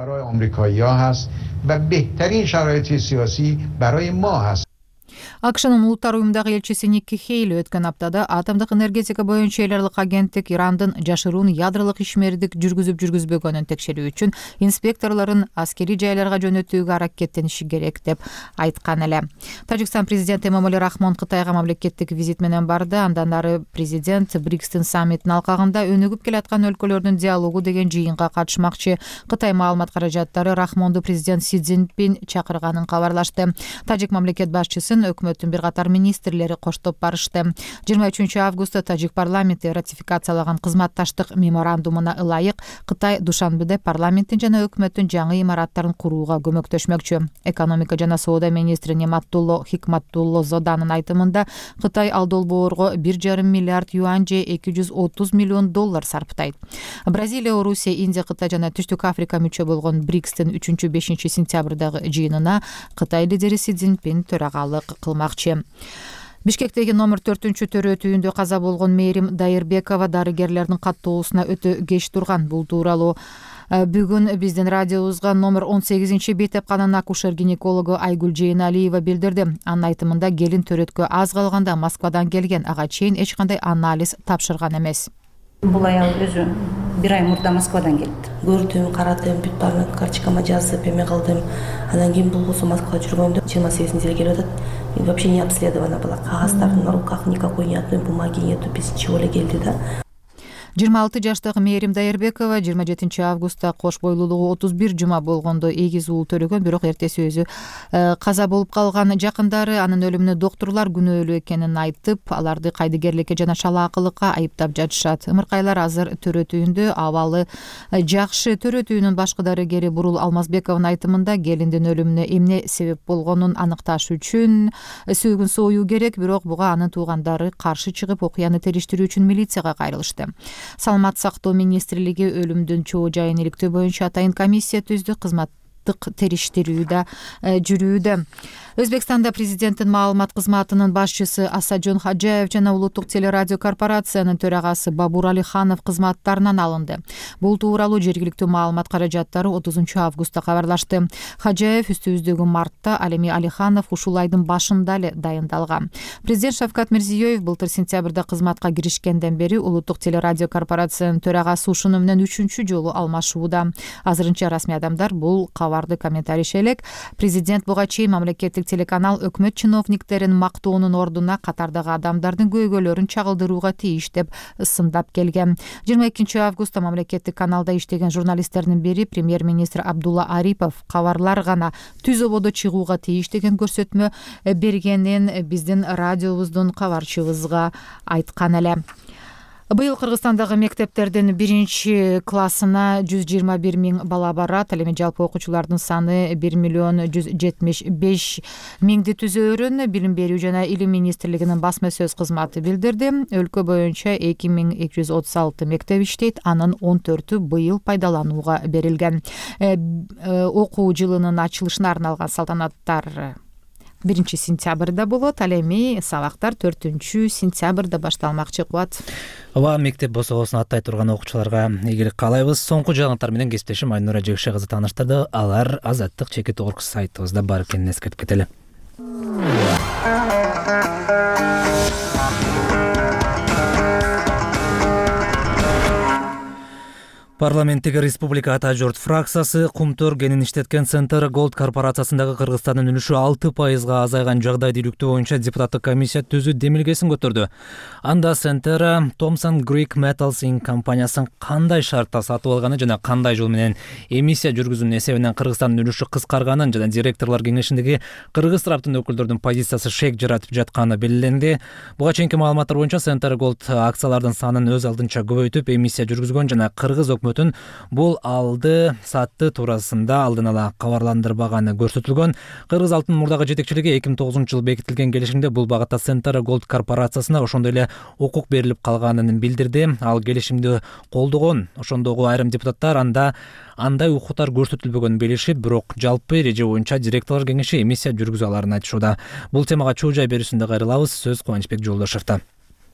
акшнын улуттар уюмундагы элчиси Никки Хейли өткөн аптада атомдук энергетика боюнча эл аралык агенттик Ирандын жашыруун ядролук ишмердик жүргүзүп жүргүзбөгөнүн текшерүү үчүн инспекторлорун аскерий жайларга жөнөтүүгө аракеттениши керек деп айткан эле. Тажикстан президенти Эмомали Рахмон Кытайга мамлекеттик визит менен барды. Андан ары президент Брикстин саммитинин алкагында өнүгүп келаткан өлкөлөрдүн диалогу деген жыйынга катышмакчы. Кытай маалымат каражаттары Рахмонду президент Си Цзиньпин чакырганын кабарлашты. Тажик мамлекет башчысын өкмөттүн бир катар министрлери коштоп барышты. жыйырма үчүнчү августта тажик парламенти ратификациялаган кызматташтык меморандумуна ылайык Кытай Душанбеде парламенттин жана өкмөттүн жаңы имараттарын курууга көмөктөшмөкчү. Экономика жана соода министри Нематтулло Хикматтулло Зоданын айтымында Кытай ал долбоорго бир жарым миллиард юань же эки жүз отуз миллион доллар сарптайт. Бразилия, Орусия, Индия, Кытай жана Түштүк Африка мүчө болгон Брикстин үчүнчү бешинчи сентябрдагы жыйынына Кытай лидери Си Цзиньпин төрагалык кылмакчы. Бишкектеги номер төртүнчү төрөтүүндө каза болгон Мээрим Дайырбекова дарыгерлердин каттоосуна өтө кеч турган. Бул тууралуу бүгүн биздин радиобузга номер он сегизинчи бейтепканын акушер-гинекологу Айгүл Жейналиева билдирди. Анын айтымында келин төрөткө аз калганда Москвадан келген, ага чейин эч кандай анализ тапшырган эмес. Бул аял өзү бир ай мурда Москвадан келди. Көрдүм, карадым, бүт баарын карточкама жазып эме кылдым. Андан кийин болбосо Москвага жүргөндө жыйырма сегизинде эле келип атат. И вообще не обследована была. Кагаздардын на руках никакой ни одной бумаги нету, без ничего эле келди да. жыйырма алты жаштагы Мээрим Дайырбекова жыйырма жетинчи августта кош бойлуулугу отуз бир жума болгондо эгиз уул төрөгөн, бирок эртеси өзү каза болуп калган. Жакындары анын өлүмүнө доктурлар күнөөлүү экенин айтып, аларды кайдыгерликке жана шалаакылыкка айыптап жатышат. Ымыркайлар азыр төрөтүүндө, абалы жакшы. Төрөтүүнүн башкы дарыгери Бурул Алмазбековдун айтымында келиндин өлүмүнө эмне себеп болгонун аныкташ үчүн сөөгүн союу керек, бирок буга анын туугандары каршы чыгып, окуяны териштирүү үчүн милицияга кайрылышты. Саламат сактоо министрлиги өлүмдүн чоо жайын иликтөө боюнча атайын комиссия түздү. Кызматтык териштирүү да жүрүүдө. Өзбекстанда президенттин маалымат кызматынын башчысы Асаджон Хаджаев жана улуттук телерадио корпорациянын төрагасы Бабур Алиханов кызматтарынан алынды. Бул тууралуу жергиликтүү маалымат каражаттары отузунчу августта кабарлашты. Хаджаев үстүбүздөгү мартта, ал эми Алиханов ушул айдын башында эле дайындалган. Президент Шавкат Мирзиёев былтыр сентябрда кызматка киришкенден бери улуттук телерадио корпорациянын төрагасы ушуну менен үчүнчү жолу алмашууда. Азырынча расмий адамдар бул кабарды комментарийше элек. Президент буга чейин мамлекеттик телеканал өкмөт чиновниктерин мактоонун ордуна катардагы адамдардын көйгөйлөрүн чагылдырууга тийиш деп сындап келген. жыйырма экинчи августта мамлекеттик каналда иштеген журналисттердин бири премьер-министр Абдулла Арипов кабарлар гана түз ободо чыгууга тийиш деген көрсөтмө бергенин биздин радиобуздун кабарчыбызга айткан эле. Быйыл Кыргызстандагы мектептердин биринчи классына жүз жыйырма бир миң бала барат. Ал эми жалпы окуучулардын саны бир миллион жүз жетимиш беш миңди түзөөрүн Билим берүү жана Илим министрлигинин басма сөз кызматы билдирди. Өлкө боюнча эки миң эки жүз отуз алты мектеп иштейт, анын он төртү быйыл пайдаланууга берилген. Окуу жылынын ачылышына арналган салтанаттар биринчи сентябрда болот, ал эми сабактар төртүнчү сентябрда башталмакчы. Кубат. Ооба, мектеп босогосун аттай турган окуучуларга ийгилик каалайбыз. Соңку жаңылыктар менен кесиптешим Айнура Жекше кызы тааныштырды. Алар Азаттык чекит орг сайтыбызда бар экенин эскертип кетели. Парламенттеги Республика Ата журт фракциясы Кумтөр кенин иштеткен Центр Голд корпорациясындагы Кыргызстандын үлүшү алты пайызга азайган жагдайды иликтөө боюнча депутаттык комиссия түзүү демилгесин көтөрдү. Анда Центр Thomson Greek Metals Incorporated компаниясын кандай шартта сатып алганы жана кандай жол менен эмиссия жүргүзүүнүн эсебинен Кыргызстандын үлүшү кыскарганын жана директорлор кеңешиндеги кыргыз тараптын өкүлдөрүнүн позициясы шек жаратып жатканы белгиленди. Буга чейинки маалыматтар боюнча Центр Голд акциялардын санын өз алдынча көбөйтүп, эмиссия жүргүзгөн жана кыргыз өкмөтү бул алды сатты туурасында алдын ала кабарландырбаганы көрсөтүлгөн. Кыргыз алтын мурдагы жетекчилиги эки миң тогузунчу жылы бекитилген келишимде бул багытта Центр Голд корпорациясына ошондой эле укук берилип калганын билдирди. Ал келишимди колдогон. Ошондогу айрым депутаттар анда андай укуктар көрсөтүлбөгөнүн билишип, бирок жалпы эреже боюнча директорлор кеңеши эмиссия жүргүзө аларын айтышууда. Бул темага чоо жай берүүсүндө кайрылабыз. Сөз Кубанычбек Жолдошевдо.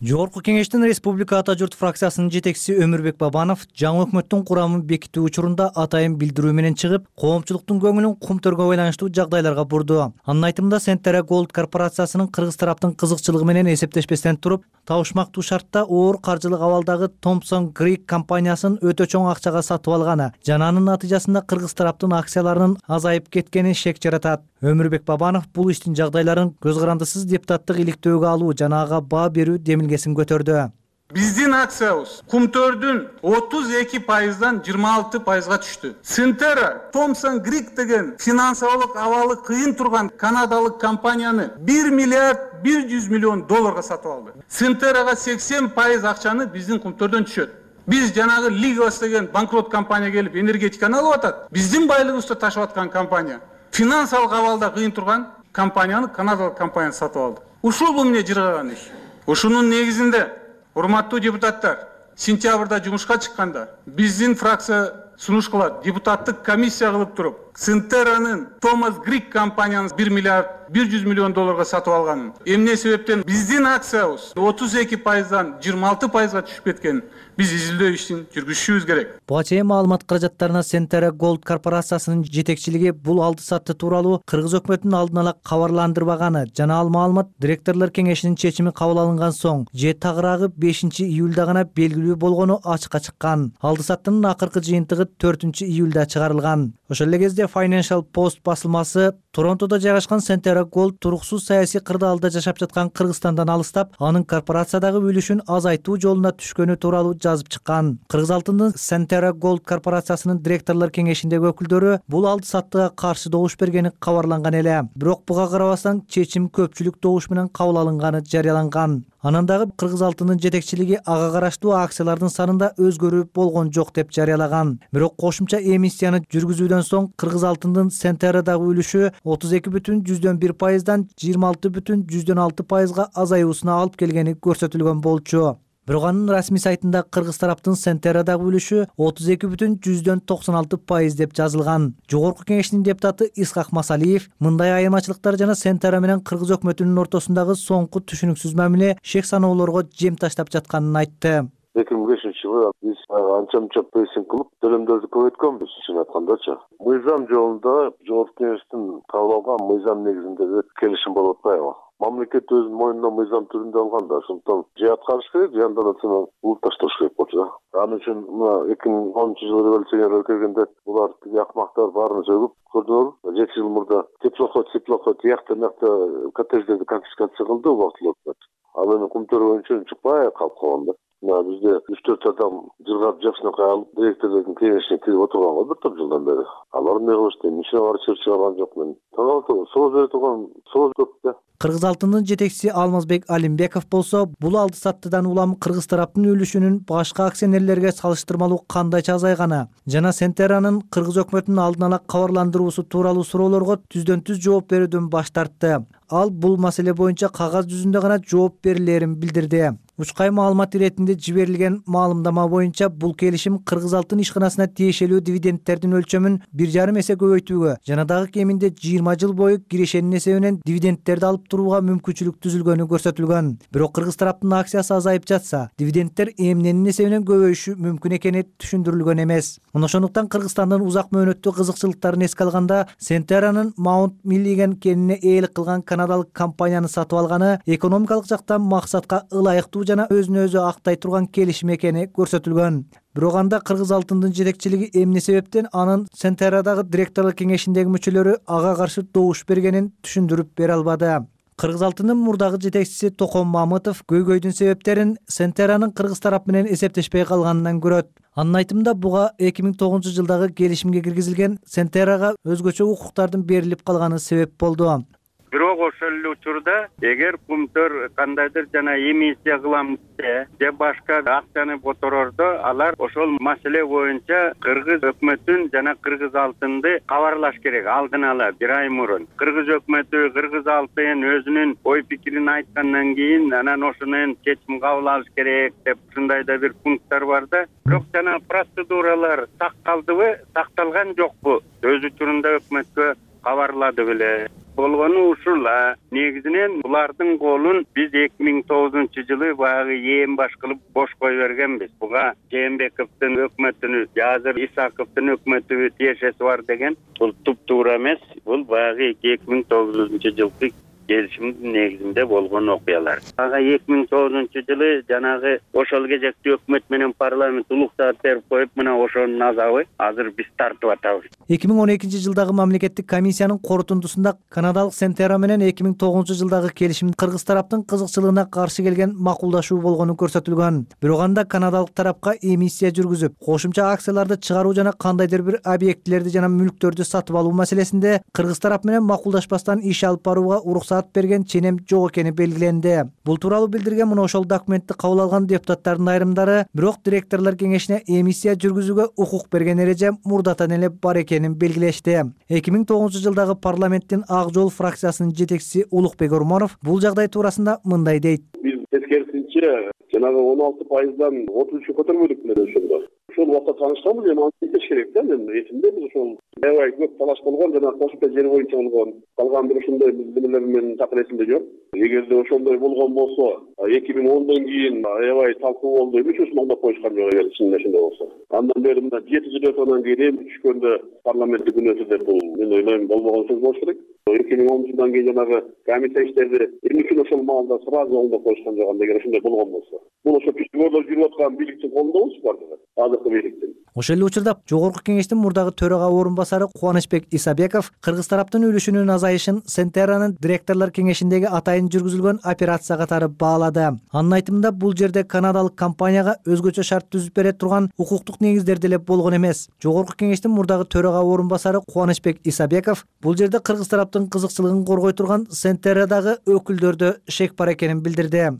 Жогорку кеңештин Республика Ата журт фракциясынын жетекчиси Өмүрбек Бабанов жаңы өкмөттүн курамын бекитүү учурунда атайын билдирүү менен чыгып, коомчулуктун көңүлүн кумтөргө байланыштуу жагдайларга бурду. Анын айтымында Сентера Gold корпорациясынын кыргыз тараптын кызыкчылыгы менен эсептешпестен туруп, табышмактуу шартта оор каржылык абалдагы Thomson Greek компаниясын өтө чоң акчага сатып алганы жана анын натыйжасында кыргыз тараптын акцияларынын азайып кеткени шек жаратат. Өмүрбек Бабанов бул иштин жагдайларын көз карандысыз депутаттык иликтөөгө алуу жана ага баа берүү демилгесин көтөрдү. Биздин акциябыз Кумтөрдүн отуз эки пайыздан жыйырма алты пайызга түштү. Сентера Thomson Greek деген финансылык абалы кыйын турган канадалык компанияны бир миллиард бир жүз миллион долларга сатып алды. Сентерага сексен пайыз акчаны биздин Кумтөрдөн түшөт. Биз жанагы Ligos деген банкрот компания келип энергетиканы алып атат. Биздин байлыгыбызды ташып аткан компания финансылык абалда кыйын турган компанияны канадалык компания сатып алды. Ушул бул эмне жыргаган иш. Ушунун негизинде урматтуу депутаттар, сентябрда жумушка чыкканда биздин фракция сунуш кылат, депутаттык комиссия кылып туруп, Сентеранын Thomson Greek компанияны бир миллиард бир жүз миллион долларга сатып алганын, эмне себептен биздин акциябыз отуз эки пайыздан жыйырма алты пайызга түшүп кеткенин биз изилдөө ишин жүргүзүшүбүз керек. Буга чейин маалымат каражаттарына Сентера Gold корпорациясынын жетекчилиги бул алды сатты тууралуу кыргыз өкмөтүнүн алдын ала кабарландырбаганы жана ал маалымат директорлор кеңешинин чечими кабыл алынган соң же тагыраагы бешинчи июлда гана белгилүү болгону ачыкка чыккан. Алды саттынын акыркы жыйынтыгы төртүнчү июлда чыгарылган. Ошол эле кезде Financial Post басылмасы Торонтодо жайгашкан Сентера Gold туруксуз саясий кырдаалда жашап жаткан Кыргызстандан алыстап, анын корпорациядагы үлүшүн азайтуу жолуна түшкөнү тууралуу жазып чыккан. Кыргыз алтындын Сентера Gold корпорациясынын директорлор кеңешиндеги өкүлдөрү бул алды саттыга каршы добуш бергени кабарланган эле. Бирок буга карабастан чечим көпчүлүк добуш менен кабыл алынганы жарыяланган. Анан дагы Кыргыз алтынын жетекчилиги ага караштуу акциялардын санында өзгөрүү болгон жок деп жарыялаган. Бирок кошумча эмиссияны жүргүзүүдөн соң Кыргыз алтынын Сентерадагы үлүшү отуз эки бүтүн жүздөн бир пайыздан жыйырма алты бүтүн жүздөн алты пайызга азаюусуна алып келгени көрсөтүлгөн болчу. Бирок анын расмий сайтында кыргыз тараптын Сентерадагы үлүшү отуз эки бүтүн жүздөн токсон алты пайыз деп жазылган. Жогорку кеңештин депутаты Исхак Масалиев мындай айырмачылыктар жана Сентера менен кыргыз өкмөтүнүн ортосундагы соңку түшүнүксүз мамиле шек саноолорго жем таштап жатканын айтты. эки миң бешинчи жылы биз анча мынча прессинг кылып төлөмдөрдү көбөйткөнбүз, чын айткандачы. Мыйзам жолунда жогорку кеңештин кабыл алган мыйзам негизиндеги келишим болуп атпайбы? Мамлекет өзүнүн мойнуна мыйзам түрүндө алган да, ошондон же аткарыш керек, же андан ачана улут ташташ керек болчу да. Ал үчүн мына эки миң онунчу жылы революционер келгенде булар тиги акмактар баарын сөгүп көрдүңөрбү. жети жыл мурда теплоход, теплоход тиякта мыякта коттедждерди конфискация кылды убактылуу өкмөт. Ал эми Кумтөр боюнча чыкпай калып калган да. Мына бизде үч төрт адам жыргап жакшынакай алып директордун кеңешине кирип отурган го бир топ жылдан бери. Алар эмне кылыш дейм, ичине барып чыгып чыгарган жок мен. Таң сооз бере турган сооз көп да. Кыргыз алтынын жетекчиси Алмазбек Алимбеков болсо, бул алды саттыдан улам кыргыз тараптын үлүшүнүн башка акционерлерге салыштырмалуу кандайча азайганы жана Сентеранын кыргыз өкмөтүнүн алдын ала кабарландыруусу тууралуу суроолорго түздөн түз жооп берүүдөн баш тартты. Ал бул маселе боюнча кагаз жүзүндө гана жооп берилерин билдирди. Учкай маалымат иретинде жиберилген маалымдама боюнча бул келишим Кыргыз алтын ишканасына тиешелүү дивидендтердин өлчөмүн бир жарым эсе көбөйтүүгө жана дагы кеминде жыйырма жыл бою кирешенин эсебинен дивидендтерди алып турууга мүмкүнчүлүк түзүлгөнү көрсөтүлгөн. Бирок кыргыз тараптын акциясы азайып жатса, дивидендтер эмненин эсебинен көбөйүшү мүмкүн экени түшүндүрүлгөн эмес. Мына ошондуктан Кыргызстандын узак мөөнөттүү кызыкчылыктарын эске алганда, Сентеранын Mount Milligan кенине ээлик кылган канадалык компанияны сатып алганы экономикалык жактан максатка ылайыктуу жана өзүн өзү актай турган келишим экени көрсөтүлгөн. Бирок анда кыргыз алтындын жетекчилиги эмне себептен анын Сентерадагы директорлор кеңешиндеги мүчөлөрү ага каршы добуш бергенин түшүндүрүп бере албады. Кыргыз алтынын мурдагы жетекчиси Током Мамытов көйгөйдүн себептерин Сентеранын кыргыз тарап менен эсептешпей калганынан көрөт. Анын айтымында буга эки миң тогузунчу жылдагы келишимге киргизилген Сентерага өзгөчө укуктардын берилип калганы себеп болду. Бирок ошол эле учурда эгер Кумтөр кандайдыр жана эмиссия кылам десе же башка акцияны которордо, алар ошол маселе боюнча кыргыз өкмөтүн жана кыргыз алтынды кабарлаш керек алдын ала бир ай мурун. Кыргыз өкмөтү, кыргыз алтын өзүнүн ой пикирин айткандан кийин анан ошонун чечим кабыл алыш керек деп ушундай да бир пункттар бар да. Бирок жана процедуралар сакталдыбы, сакталган жокпу? Өз учурунда өкмөткө кабарлады беле. болгону ушул. Негизинен булардын колун биз эки миң тогузунчу жылы баягы ээн баш кылып бош кое бергенбиз. Буга Жээнбековдун өкмөтүнүн, азыр Исаковдун өкмөтү тиешеси бар деген. Бул туп-туура эмес. Бул баягы эки миң тогузунчу жылкы келишимдин негизинде болгон окуялар. Ага эки миң тогузунчу жылы жанагы ошол кезекти өкмөт менен парламент улуктап берип коюп, мына ошонун азабы азыр биз тартып атабыз. эки миң он экинчи жылдагы мамлекеттик комиссиянын корутундусунда канадалык Сентера менен эки миң тогузунчу жылдагы келишим кыргыз тараптын кызыкчылыгына каршы келген макулдашуу болгону көрсөтүлгөн. Бирок анда канадалык тарапка эмиссия жүргүзүп, кошумча акцияларды чыгаруу жана кандайдыр бир объектилерди жана мүлктөрдү сатып алуу маселесинде кыргыз тарап менен макулдашпастан иш алып барууга уруксат берген ченем жок экени белгиленди. Бул тууралуу билдирген мына ошол документти кабыл алган депутаттардын айрымдары, бирок директорлор кеңешине эмиссия жүргүзүүгө укук берген эреже мурдатан эле бар экенин белгилешти. эки миң тогузунчу жылдагы парламенттин Ак жол фракциясынын жетекчиси Улукбек Ормонов бул жагдай туурасында мындай дейт. Биз тескерисинче жанагы он алты пайыздан отуз үчкө көтөрмөдүк менен ошондо. Ошол убакта таанышканбыз, эми аны айтыш керек да. Мен эсимде биз ошол аябай көп талаш болгон жана кошумча жер боюнча болгон. Калган бир ушундай нелер менен такыр эсимде жок. Эгерде ошондой болгон болсо, эки миң ондон кийин аябай талкуу болду. Эмне үчүн алдап коюшкан жок эгер чынында ошондой болсо. Андан бери мына жети жыл өткөндөн кийин эми түшкөндө парламентте күн өтү деп бул мен ойлойм болбогон сөз болуш керек. эки миң онунчу жылдан кийин жанагы комиссия иштерди эмне үчүн ошол маалда сразу алдап коюшкан жок анда эгер ошондой болгон болсо. Бул ошо түштүгөдө жүрүп аткан бийликтин колундабыз бардыгы. Азыркы бийликтин. Ошол эле учурда Жогорку кеңештин мурдагы төрага орун басары Кубанычбек Исабеков кыргыз тараптын үлүшүнүн азайышын Сентеранын директорлор кеңешиндеги атайын жүргүзүлгөн операция катары баалады. Анын айтымында бул жерде канадалык компанияга өзгөчө шарт түзүп бере турган укуктук негиздер деле болгон эмес. Жогорку кеңештин мурдагы төрага орун басары Кубанычбек Исабеков бул жерде кыргыз тараптын кызыкчылыгын коргой турган Сентерадагы өкүлдөрдө шек бар экенин билдирди.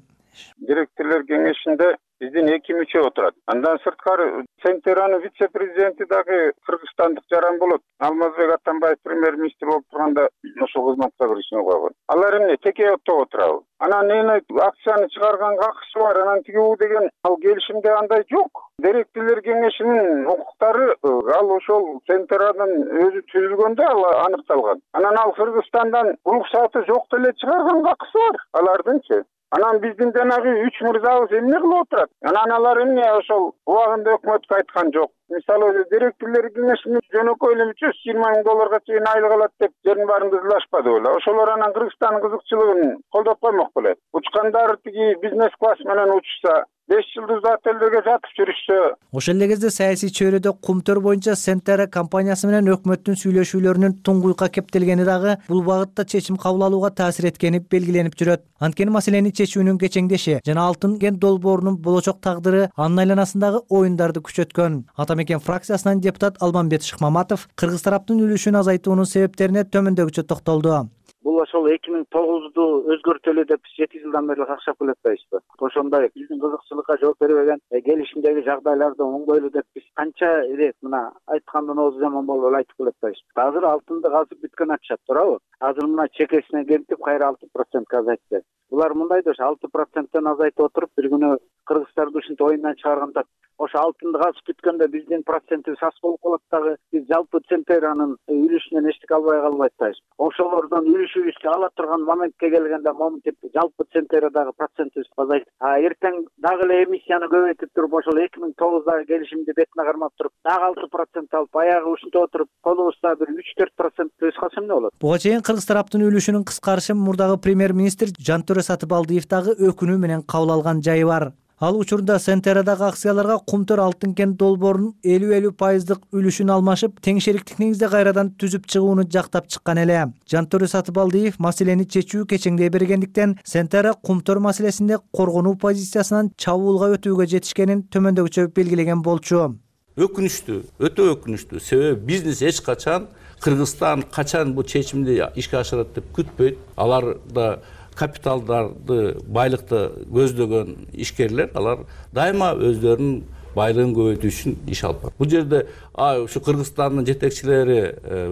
Директорлор кеңешинде биздин эки мүчө отурат. Андан сырткары Сентеранын вице-президенти дагы кыргызстандык жаран болот. Алмазбек Атамбаев премьер-министр болуп турганда ошол кызматка киришине койгон. Алар эмне теке отто отурабы? Анан эне акцияны чыгарганга акысы бар, анан тигүү деген ал келишимде андай жок. Директорлор кеңешинин укуктары ал ошол Сентеранын өзү түзүлгөндө ал аныкталган. Анан ал Кыргызстандан уруксаты жок деле чыгарганга акысы бар алардынчы. Анан биздин жанагы үч мырзабыз эмне кылып отурат? Анан алар эмне ошол убагында өкмөткө айткан жок. Мисалы директорлор кеңешинин жөнөкөй эле үч жүз жыйырма миң долларга чейин айлык алат деп жерин баарын кызылашпады беле. Ошолор анан Кыргызстандын кызыкчылыгын колдоп коймок беле. Учкандар тиги бизнес класс менен учса, беш жылдыз отелдерге жатып жүрүшсө. Ошол эле кезде саясий чөйрөдө кумтөр боюнча Сентера компаниясы менен өкмөттүн сүйлөшүүлөрүнүн туңгуйка кептелгени дагы бул багытта чечим кабыл алууга таасир эткени белгиленип жүрөт. Анткени маселени чечүүнүн кечеңдеши жана алтын кен долбоорунун болочок тагдыры анын айланасындагы оюндарды күчөткөн. Атамекен фракциясынан депутат Алмамбет Шыкмаматов кыргыз тараптын үлүшүн азайтуунун себептерине төмөндөгүчө токтолду. Бул ошол эки миң тогузду өзгөртөлү деп жети жылдан бери какшап келатпайбызбы? Ошондой биздин кызыкчылыкка жооп бербеген келишимдеги жагдайларды оңгойлу деп биз канча ирет мына айткандын оозу жаман болуп эле айтып келатпайбызбы? Азыр алтынды казып бүткөн акча, туурабы? Азыр мына чекесине кемтип кайра алты процентке азайтты. Булар мындайда ошо алты проценттен азайтып отуруп бир күнү кыргыздарды ушинтип оюндан чыгарганда ошо алтынды казып бүткөндө биздин процентибиз аз болуп калат дагы. Биз жалпы Сентеранын үлүшүнөн эчтеке албай калбай атпайбыз. Ошолордон үлүшүбүздү ала турган моментке келгенде момент жалпы Сентерадагы процентибиз азайт. А эртең дагы эле эмиссияны көбөйтүп туруп ошол эки миң тогуздагы келишимди бетине кармап туруп дагы алты процент алып аягы ушинтип отуруп колубузда бир үч төрт процентти өз калса эмне болот? Буга чейин кыргыз тараптын үлүшүнүн кыскарышы мурдагы премьер-министр Жантөре Сатыбалдиев дагы өкүнүү менен кабыл алган жайы бар. Ал учурда Сентерадагы акцияларга кумтөр алтын кен долбоорунун элүү элүү пайыздык үлүшүн алмашып, тең шериктик негизде кайрадан түзүп чыгууну жактап чыккан эле. Жантөре Сатыбалдиев маселени чечүү кечеңдей бергендиктен Сентера кумтөр маселесинде коргонуу позициясынан чабуулга өтүүгө жетишкенин төмөндөгүчө белгилеген болчу. Өкүнүчтүү, өтө өкүнүчтүү. Себеби бизнес эч качан Кыргызстан качан бул чечимди ишке ашырат деп күтпөйт. Алар да капиталдарды, байлыкты көздөгөн ишкерлер, алар дайыма өздөрүнүн байлыгын көбөйтүү үчүн иш алып барат. Бул жерде ушу Кыргызстандын жетекчилери,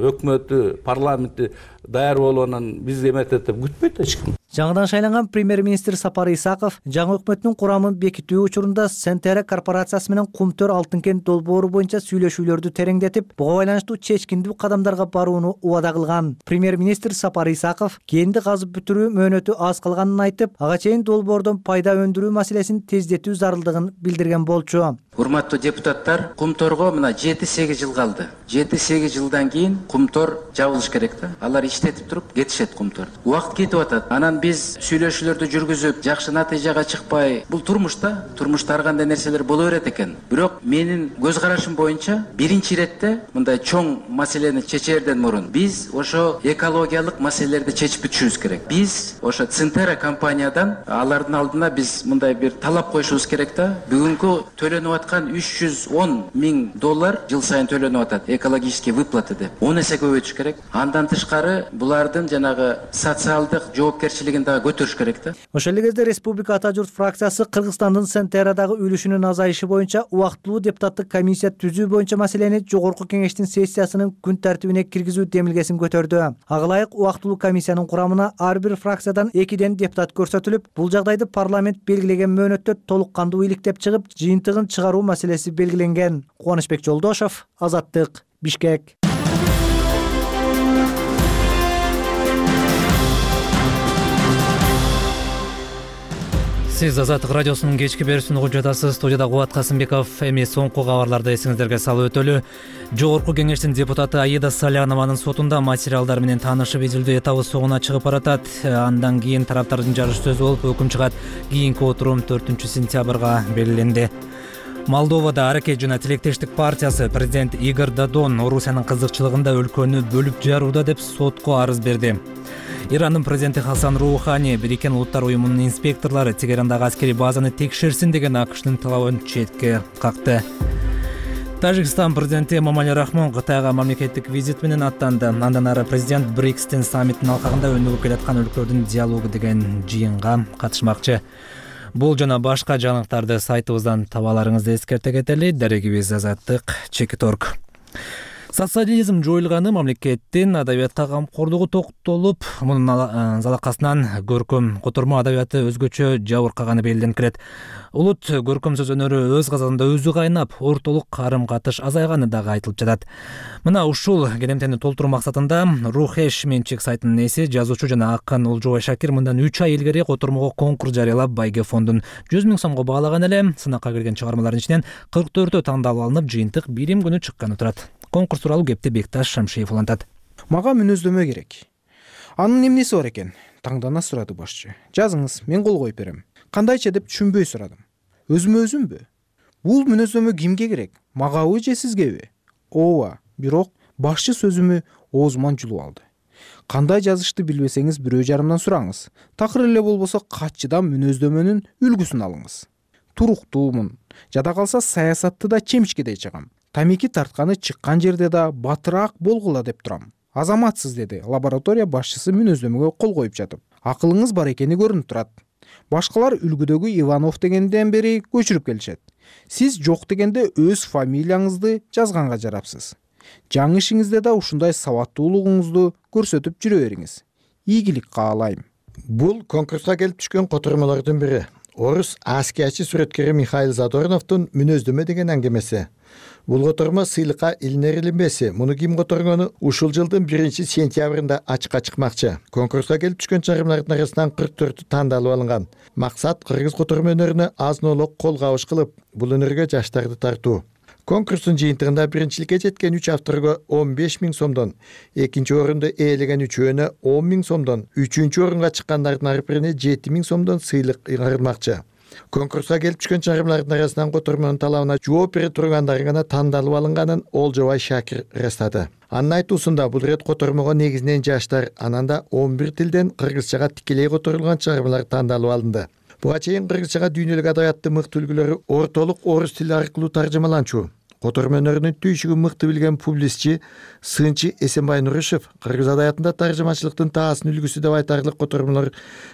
өкмөтү, парламенти даяр болуп анан бизди эметет деп күтпөйт эч ким. Жаңыдан шайланган премьер-министр Сапар Исаков жаңы өкмөттүн курамын бекитүү учурунда Сентера корпорациясы менен Кумтөр Алтын кент долбоору боюнча сүйлөшүүлөрдү тереңдетип, буга байланыштуу чечкиндүү кадамдарга барууну убада кылган. Премьер-министр Сапар Исаков кенди казып бүтүрүү мөөнөтү аз калганын айтып, ага чейин долбоордон пайда өндүрүү маселесин тездетүү зарылдыгын билдирген болчу. Урматтуу депутаттар, Кумторго мына жети сегиз жыл калды. жети сегиз жылдан кийин Кумтор жабылыш керек да. Алар иштетип туруп кетишет Кумтор. Убакыт кетип атат. Анан биз сүйлөшүүлөрдү жүргүзүп, жакшы натыйжага чыкпай, бул турмушта, турмушта ар кандай нерселер боло берет экен. Бирок менин көз карашым боюнча биринчи иретте мындай чоң маселени чечерден мурун биз ошо экологиялык маселелерди чечип бүтүшүбүз керек. Биз ошо Центера компаниядан алардын алдына биз мындай бир талап коюшубуз керек да. Бүгүнкү төлөнүп аткан үч жүз он миң доллар жыл сайын төлөнүп атат экологический выплаты деп. он эсе көбөйтүш керек. Андан тышкары булардын жанагы социалдык жоопкерчилигин дагы көтөрүш керек да. Ошол эле кезде Республика Ата журт фракциясы Кыргызстандын Сентерадагы үлүшүнүн азайышы боюнча убактылуу депутаттык комиссия түзүү боюнча маселени жогорку кеңештин сессиясынын күн тартибине киргизүү демилгесин көтөрдү. Ага ылайык убактылуу комиссиянын курамына ар бир фракциядан экиден депутат көрсөтүлүп, бул жагдайды парламент белгилеген мөөнөттө толук кандуу иликтеп чыгып, жыйынтыгын чыгаруу маселеси белгиленген. Кубанычбек Жолдошов, Азаттык, Бишкек. Сиз Азаттык радиосунун кечки берүүсүн угуп жатасыз. Студияда Кубат Касымбеков. Эми соңку кабарларды эсиңиздерге салып өтөлү. Жогорку кеңештин депутаты Аида Салянованын сотунда материалдар менен таанышып изилдөө этабы соңуна чыгып баратат. Андан кийин тараптардын жарыш сөзү болуп, өкүм чыгат. Кийинки отурум төртүнчү сентябрга белгиленди. Молдовада Аракет жана Тилектештик партиясы президент Игорь Додон Орусиянын кызыкчылыгында өлкөнү бөлүп жарууда деп сотко арыз берди. Ирандын президенти Хасан Роухани Бириккен Улуттар уюмунун инспекторлору Тегерандагы аскерий базаны текшерсин деген АКШнын талабын четке какты. Тажикстан президенти Эмомали Рахмон Кытайга мамлекеттик визит менен аттанды. Андан ары президент Брикстин саммитинин алкагында өнүгүп келаткан өлкөлөрдүн диалогу деген жыйынга катышмакчы. Бул жана башка жаңылыктарды сайтыбыздан таба аларыңызды эскерте кетели. Дарегибиз Азаттык, Чекиторг. Социализм жоюлганы мамлекеттин адабиятка камкорлугу токтолуп, мунун залакасынан көркөм котормо адабияты өзгөчө жабыркаганы белгиленип келет. Улут көркөм сөз өнөрү өз казанында өзү кайнап, ортолук карым-катыш азайганы дагы айтылып жатат. Мына ушул келемтени толтуруу максатында Рухеш менчик сайтынын ээси, жазуучу жана акын Олжобай Шакир мындан үч ай илгери котормого конкурс жарыялап, байге фондун жүз миң сомго баалаган эле. Сынакка кирген чыгармалардын ичинен кырк төртөө тандалып алынып, жыйынтык бирим күнү чыкканы турат. Конкурс тууралуу кепти Бекташ Шамшиев улантат. Мага мүнөздөмө керек. Анын эмнеси бар экен? Таңдана сурады башчы. Жазыңыз, мен кол коюп берем. Кандайча деп түшүнбөй сурадым. Өзүмө өзүмбү? Бул мүнөздөмө кимге керек? Магабы же сизгеби? Ооба, бирок башчы сөзүмү оозуман жулуп алды. Кандай жазышты билбесеңиз бирөө жарымдан сураңыз. Такыр эле болбосо катчыдан мүнөздөмөнүн үлгүсүн алыңыз. Туруктуумун. Жада калса саясатты да чемишкедей чыгам. Тамеки тартканы чыккан жерде да батыраак болгула деп турам. Азаматсыз, деди лаборатория башчысы мүнөздөмөгө кол коюп жатып. Акылыңыз бар экени көрүнүп турат. Башкалар үлгүдөгү Иванов дегенден бери көчүрүп келишет. Сиз жок дегенде өз фамилияңызды жазганга жарапсыз. Жаңы ишиңизде да ушундай сабаттуулугуңузду көрсөтүп жүрө бериңиз. Ийгилик каалайм. Бул конкурска келип түшкөн котормолордун бири. Орус аскиячы сүрөткери Михаил Задорновдун мүнөздөмө деген аңгемеси. Бул котормо сыйлыкка илинер илинбеси. Муну ким которгону ушул жылдын биринчи сентябрында ачыкка чыкмакчы. Конкурска келип түшкөн чыгармалардын арасынан кырк төртү тандалып алынган. Максат кыргыз котормо өнөрүнө азын-олук кол кабыш кылып, бул өнөргө жаштарды тартуу. Конкурстун жыйынтыгында биринчиликке жеткен үч авторго он беш миң сомдон, экинчи орунду ээлеген үчөөнө он миң сомдон, үчүнчү орунга чыккандардын ар бирине жети миң сомдон сыйлык ыйгарылмакчы. Конкурска келип түшкөн чыгармалардын арасынан котормонун талабына жооп бере тургандары гана тандалып алынганын Олжобай Шакир ырастады. Анын айтуусунда бул рет котормого негизинен жаштар, анан да он бир тилден кыргызчага тикелей которулган чыгармалар тандалып алынды. Буга чейин кыргызчага дүйнөлүк адабияттын мыкты үлгүлөрү ортолук орус тили аркылуу таржымаланчу. Котормо өнөрүнүн түйшүгүн мыкты билген публистчи Сынчы Эсенбай Нурушев кыргыз адабиятында таржымачылыктын таасын үлгүсү деп айтарлык котормолор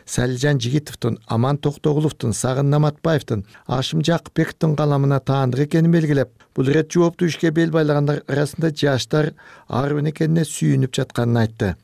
Салижан Жигитовдун, Аман Токтогуловдун, Сагын Наматбаевдин, Ашым Жакыпбековдун каламына таандык экенин белгилеп, бул рет жооптуу ишке бел байлагандар арасында жаштар ар бир экенине сүйүнүп жатканын айтты.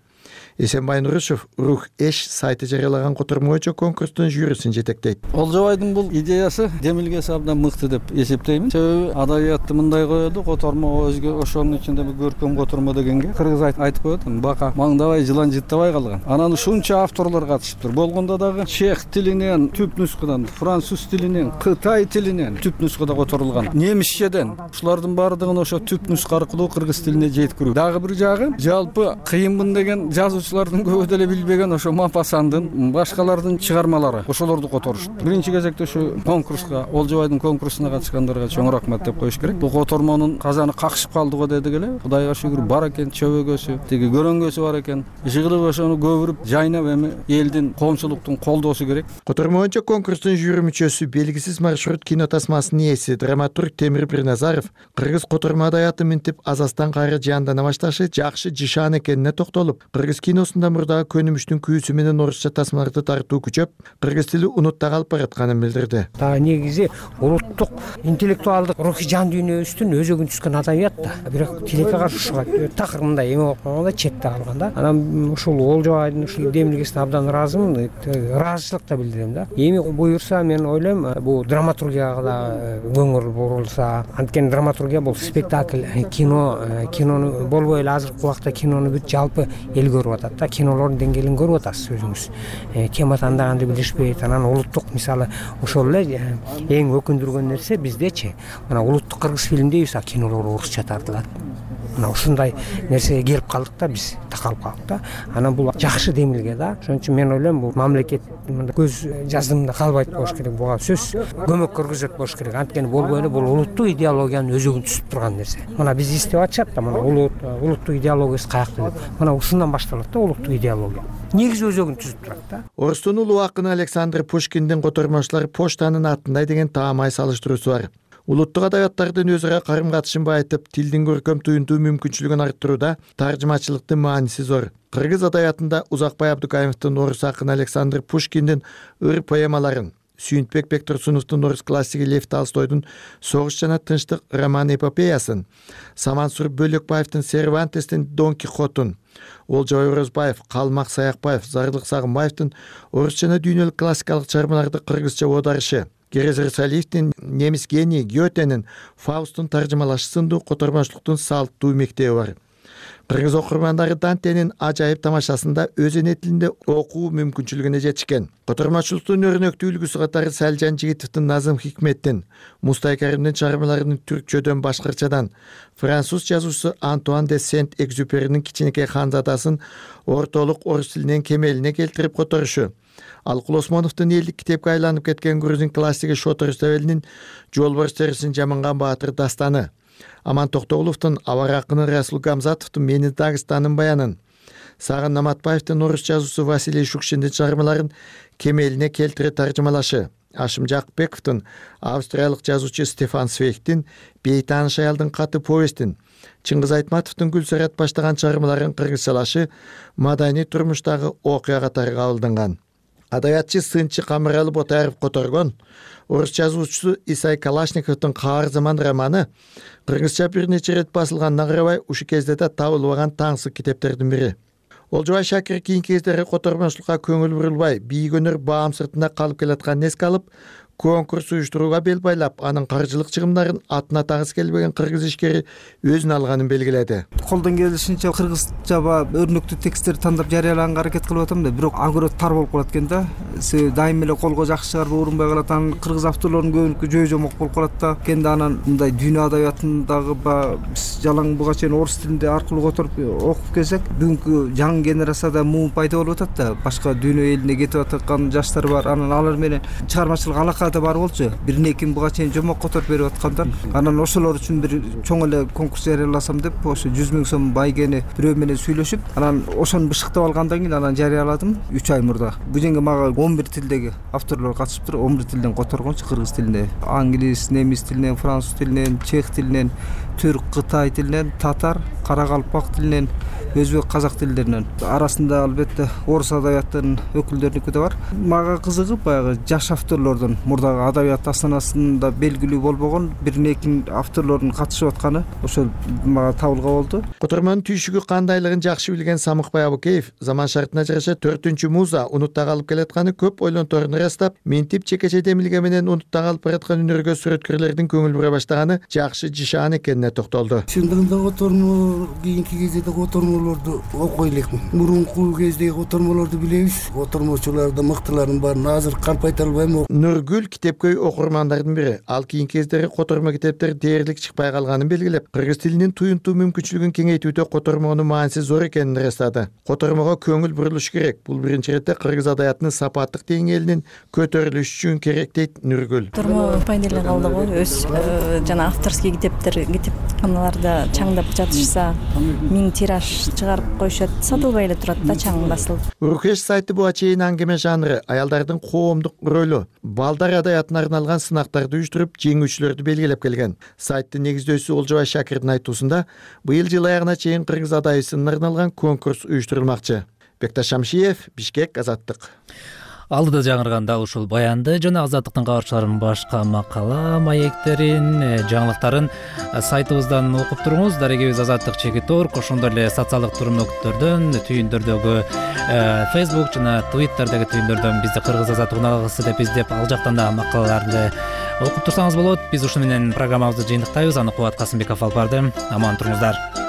Эсенбай Нурушев Рух эш сайты жарыялаган котормо боюнча конкурстун жюрисин жетектейт. Олжобайдын бул идеясы демилгеси абдан мыкты деп эсептеймин. Себеби адабиятты мындай коёду, котормо өзгө ошонун ичинде көркөм котормо дегенге кыргыз айтып коет, бака маңдабай жылан жыттабай калган. Анан ушунча авторлор катышыптыр. Болгондо дагы чех тилинен түп нускадан, француз тилинен, кытай тилинен түп нускада которулган. Немисчеден ушулардын баардыгын ошо түп нуска аркылуу кыргыз тилине жеткирүү. Дагы бир жагы жалпы кыйынмын деген жазуучулардын көбү деле билбеген ошо Мапасандын, башкалардын чыгармалары ошолорду которушту. Биринчи кезекте ушу конкурска, Олжобайдын конкурсуна катышкандарга чоң рахмат деп коюш керек. Бул котормонун казаны какшып калды го дедик эле. Кудайга шүгүр бар экен, чөбөгөсү, тиги көрөнгөсү бар экен. Ишигилип ошону көбүрүп жайнап эми элдин, коомчулуктун колдоосу керек. Котормо боюнча конкурстун жюри мүчөсү белгисиз маршрут кино тасмасынын ээси драматург Темир Бирназаров кыргыз котормо адабияты минтип азастан кайра жандана башташы жакшы жишан экенине токтолуп, кыргыз киносунда мурдагы көнүмүштүн күйүүсү менен орусча тасмаларды тартуу күчөп, кыргыз тили унутта калып баратканын билдирди. Дагы негизи улуттук интеллектуалдык рухий жан дүйнөбүздүн өзөгүн түзгөн адабият да. Бирок тилекке каршы ушуга такыр мындай эме болуп калганда, четте калган да. Анан ушул Олжобайдын ушул демилгесине абдан ыраазымын, ыраазычылык да билдирем да. Эми буюрса мен ойлойм, бул драматургияга да көңүл бурулса, анткени драматургия бул спектакль, кино, кинону болбой эле азыркы убакта кинону бүт жалпы эл көрүп атат да. Кинолордун деңгээлин көрүп атасыз өзүңүз. Тема тандаганды билишпейт. Анан улуттук мисалы ошол эле эң өкүндүргөн нерсе биздечи. Мына улуттук кыргыз фильм дейбиз, а кинолор орусча тартылат. Мына ушундай нерсеге келип калдык да, биз такалып калдык да. Анан бул жакшы демилге да. Ошон үчүн мен ойлойм, бул мамлекет көз жаздымда калбайт болуш керек. Буга сөз көмөк көргөзөт болуш керек. Анткени болбой эле бул улуттук идеологиянын өзөгүн түзүп турган нерсе. Мына биз издеп атышат да, мына улут улуттук идеологиясы каякта деп. Мына ушундан башталат да улуттук идеология. Негизи өзөгүн түзүп турат да. Орустун улуу акыны Александр Пушкиндин котормочулар почтанын атындай деген таамай салыштыруусу бар. Улуттук адабияттардын өзү ара карым катышын байытып, тилдин көркөм туюнтуу мүмкүнчүлүгүн арттырууда таржымачылыктын мааниси зор. Кыргыз адабиятында Узакбай Абдукаимовдун орус акыны Александр Пушкиндин ыр поэмаларын, Сүйүнтбек Бектурсуновдун орус классиги Лев Толстойдун Согуш жана тынчтык роман эпопеясын, Самансур Бөлөкбаевдин Сервантестин Дон Кихотун, Олжобай Орозбаев, Калмак Саякбаев, Зардык Сагынбаевдин орус жана дүйнөлүк классикалык чыгармаларды кыргызча оодарышы, Керезер Салиевдин немис гении Гётенин Фаустун таржымалашы сындуу котормочулуктун салттуу мектеби бар. Кыргыз окурмандары Дантенин ажайып тамашасында өз эне тилинде окуу мүмкүнчүлүгүнө жетишкен. Котормочулуктун өрнөктүү үлгүсү катары Салжан Жигитовдун Назым Хикметтин, Мустай Каримдин чыгармаларынын түркчөдөн башкырчадан, француз жазуучусу Антуан де Сент-Экзюперинин Кичинекей ханзадасын ортолук орус тилинен кемелине келтирип которушу, Алкул Осмоновдун элдик китепке айланып кеткен грузин классиги Шотыр Өстөбелинин Жолборс терисин жаманган баатыр дастаны, Аман Токтоголовдун Авар акыны Расул Гамзатовдун Мени Дагыстанын баянын, Сагын Наматбаевдин орус жазуучусу Василий Шукшиндин чыгармаларын кемелине келтире таржымалашы, Ашым Жакыпбековдун австриялык жазуучу Стефан Свейхтин Бейтаныш аялдын каты повестин, Чыңгыз Айтматовдун Гүлсарат баштаган чыгармаларын кыргызчалашы маданий турмуштагы окуя катары кабылданган. Адабиятчы Сынчы Камыралы Ботаев которгон орус жазуучусу Исай Калашниковдун Каар заман романы кыргызча бир нече ирет басылганына карабай ушу кезде да табылбаган таңсык китептердин бири. Олжобай Шакир кийинки кездери котормочулукка көңүл бурулбай, бийгөнөр баам сыртында калып келатканын эске алып, конкурс уюштурууга бел байлап, анын каржылык чыгымдарын атына тагыс келбеген кыргыз ишкери өзүнө алганын белгиледи. Колдон келишинче кыргызча өрнөктүү тексттерди тандап жарыялаганга аракет кылып атам да, бирок агро тар болуп калат экен да. Дайым эле колго жакшы чыгарып урунбай калат. Анан кыргыз авторлордун көбүнүкү жөө жомок болуп калат да. Кенде анан мындай дүйнө адабиятындагы биз жалаң буга чейин орус тилинде аркылуу которуп окуп келсек, бүгүнкү жаңы генерацияда муу пайда болуп атат да. Башка дүйнө элине кетип аткан жаштар бар. Анан алар менен чыгармачылык алака да бар болчу. Бир некин буга чейин жомок которуп берип аткандар. Анан ошолор үчүн бир чоң эле конкурс жарыяласам деп, ошо жүз миң сом байгени бирөө менен сүйлөшүп, анан ошону бышыктап алгандан кийин анан жарыяладым үч ай мурда. Бул жерге мага он бир тилдеги авторлор катышыптыр. он бир тилден которгончу кыргыз тилинде. Англис, немис тилинен, француз тилинен, чех тилинен, түрк, кытай тилинен, татар, каракалпак тилинен, өзбек казак тилдеринен арасында албетте орус адабияттарынын өкүлдөрүнүкү да бар. Мага кызыгып баягы жаш авторлордун мурдагы адабият астанасында белгилүү болбогон бир эки авторлордун катышып атканы ошол мага табылга болду. Котормонун түйшүгү кандайлыгын жакшы билген Самыкбай Абукеев заман шартына жараша төртүнчү муза унутта калып келатканы көп ойлонторун ырастап, ментип чекече демилге менен унутта калып бараткан үнөргө сүрөткөрлөрдүн көңүл бура баштаганы жакшы жишаан экенине токтолду. Чындыгында котормолор кийинки кезде котормолорду окуй элекмин. Мурунку кездеги котормолорду билебиз. Котормочуларды мыктыларын баарын азыр калп айта албайм. Нургүл китепкөй окурмандардын бири. Ал кийинки кездери котормо китептер дээрлик чыкпай калганын белгилеп, кыргыз тилинин туюнтуу мүмкүнчүлүгүн кеңейтүүдө котормонун мааниси зор экенин ырастады. Котормого көңүл бурулуш керек. Бул биринчи иретте кыргыз адабиятынын сапаттык деңгээлинин көтөрүлүшү үчүн керек дейт Нургүл. Котормо пайдалуу калды го. Өз жана авторский китептер китепканаларда чаңдап жатышса, миң тираж чыгарып коюшат, сатылбай эле турат да, чаң басылып. Уркеш сайты буга чейин аңгеме жанры, аялдардын коомдук ролу, балдар адабиятына арналган сынактарды уюштуруп, жеңүүчүлөрдү белгилеп келген. Сайттын негиздөөчүсү Олжобай Шакирдин айтуусунда, быйыл жыл аягына чейин кыргыз адайысына арналган конкурс уюштурулмакчы. Бекташ Шамшиев, Бишкек, Азаттык. Алдыда жаңырган дал ушул баянды жана Азаттыктын кабарчыларынын башка макала, маектерин, жаңылыктарын сайтыбыздан окуп туруңуз. Дарегебиз Азаттык чекит орг, ошондой эле социалдык турмөктөрдөн, түйүндөрдөгү Facebook жана Twitterдеги түйүндөрдөн бизди Кыргыз Азаттык уналгысы деп издеп, ал жактан да макалаларды окуп турсаңыз болот. Биз ушу менен программабызды жыйынтыктайбыз. Аны Кубат Касымбеков алып барды. Аман туруңуздар.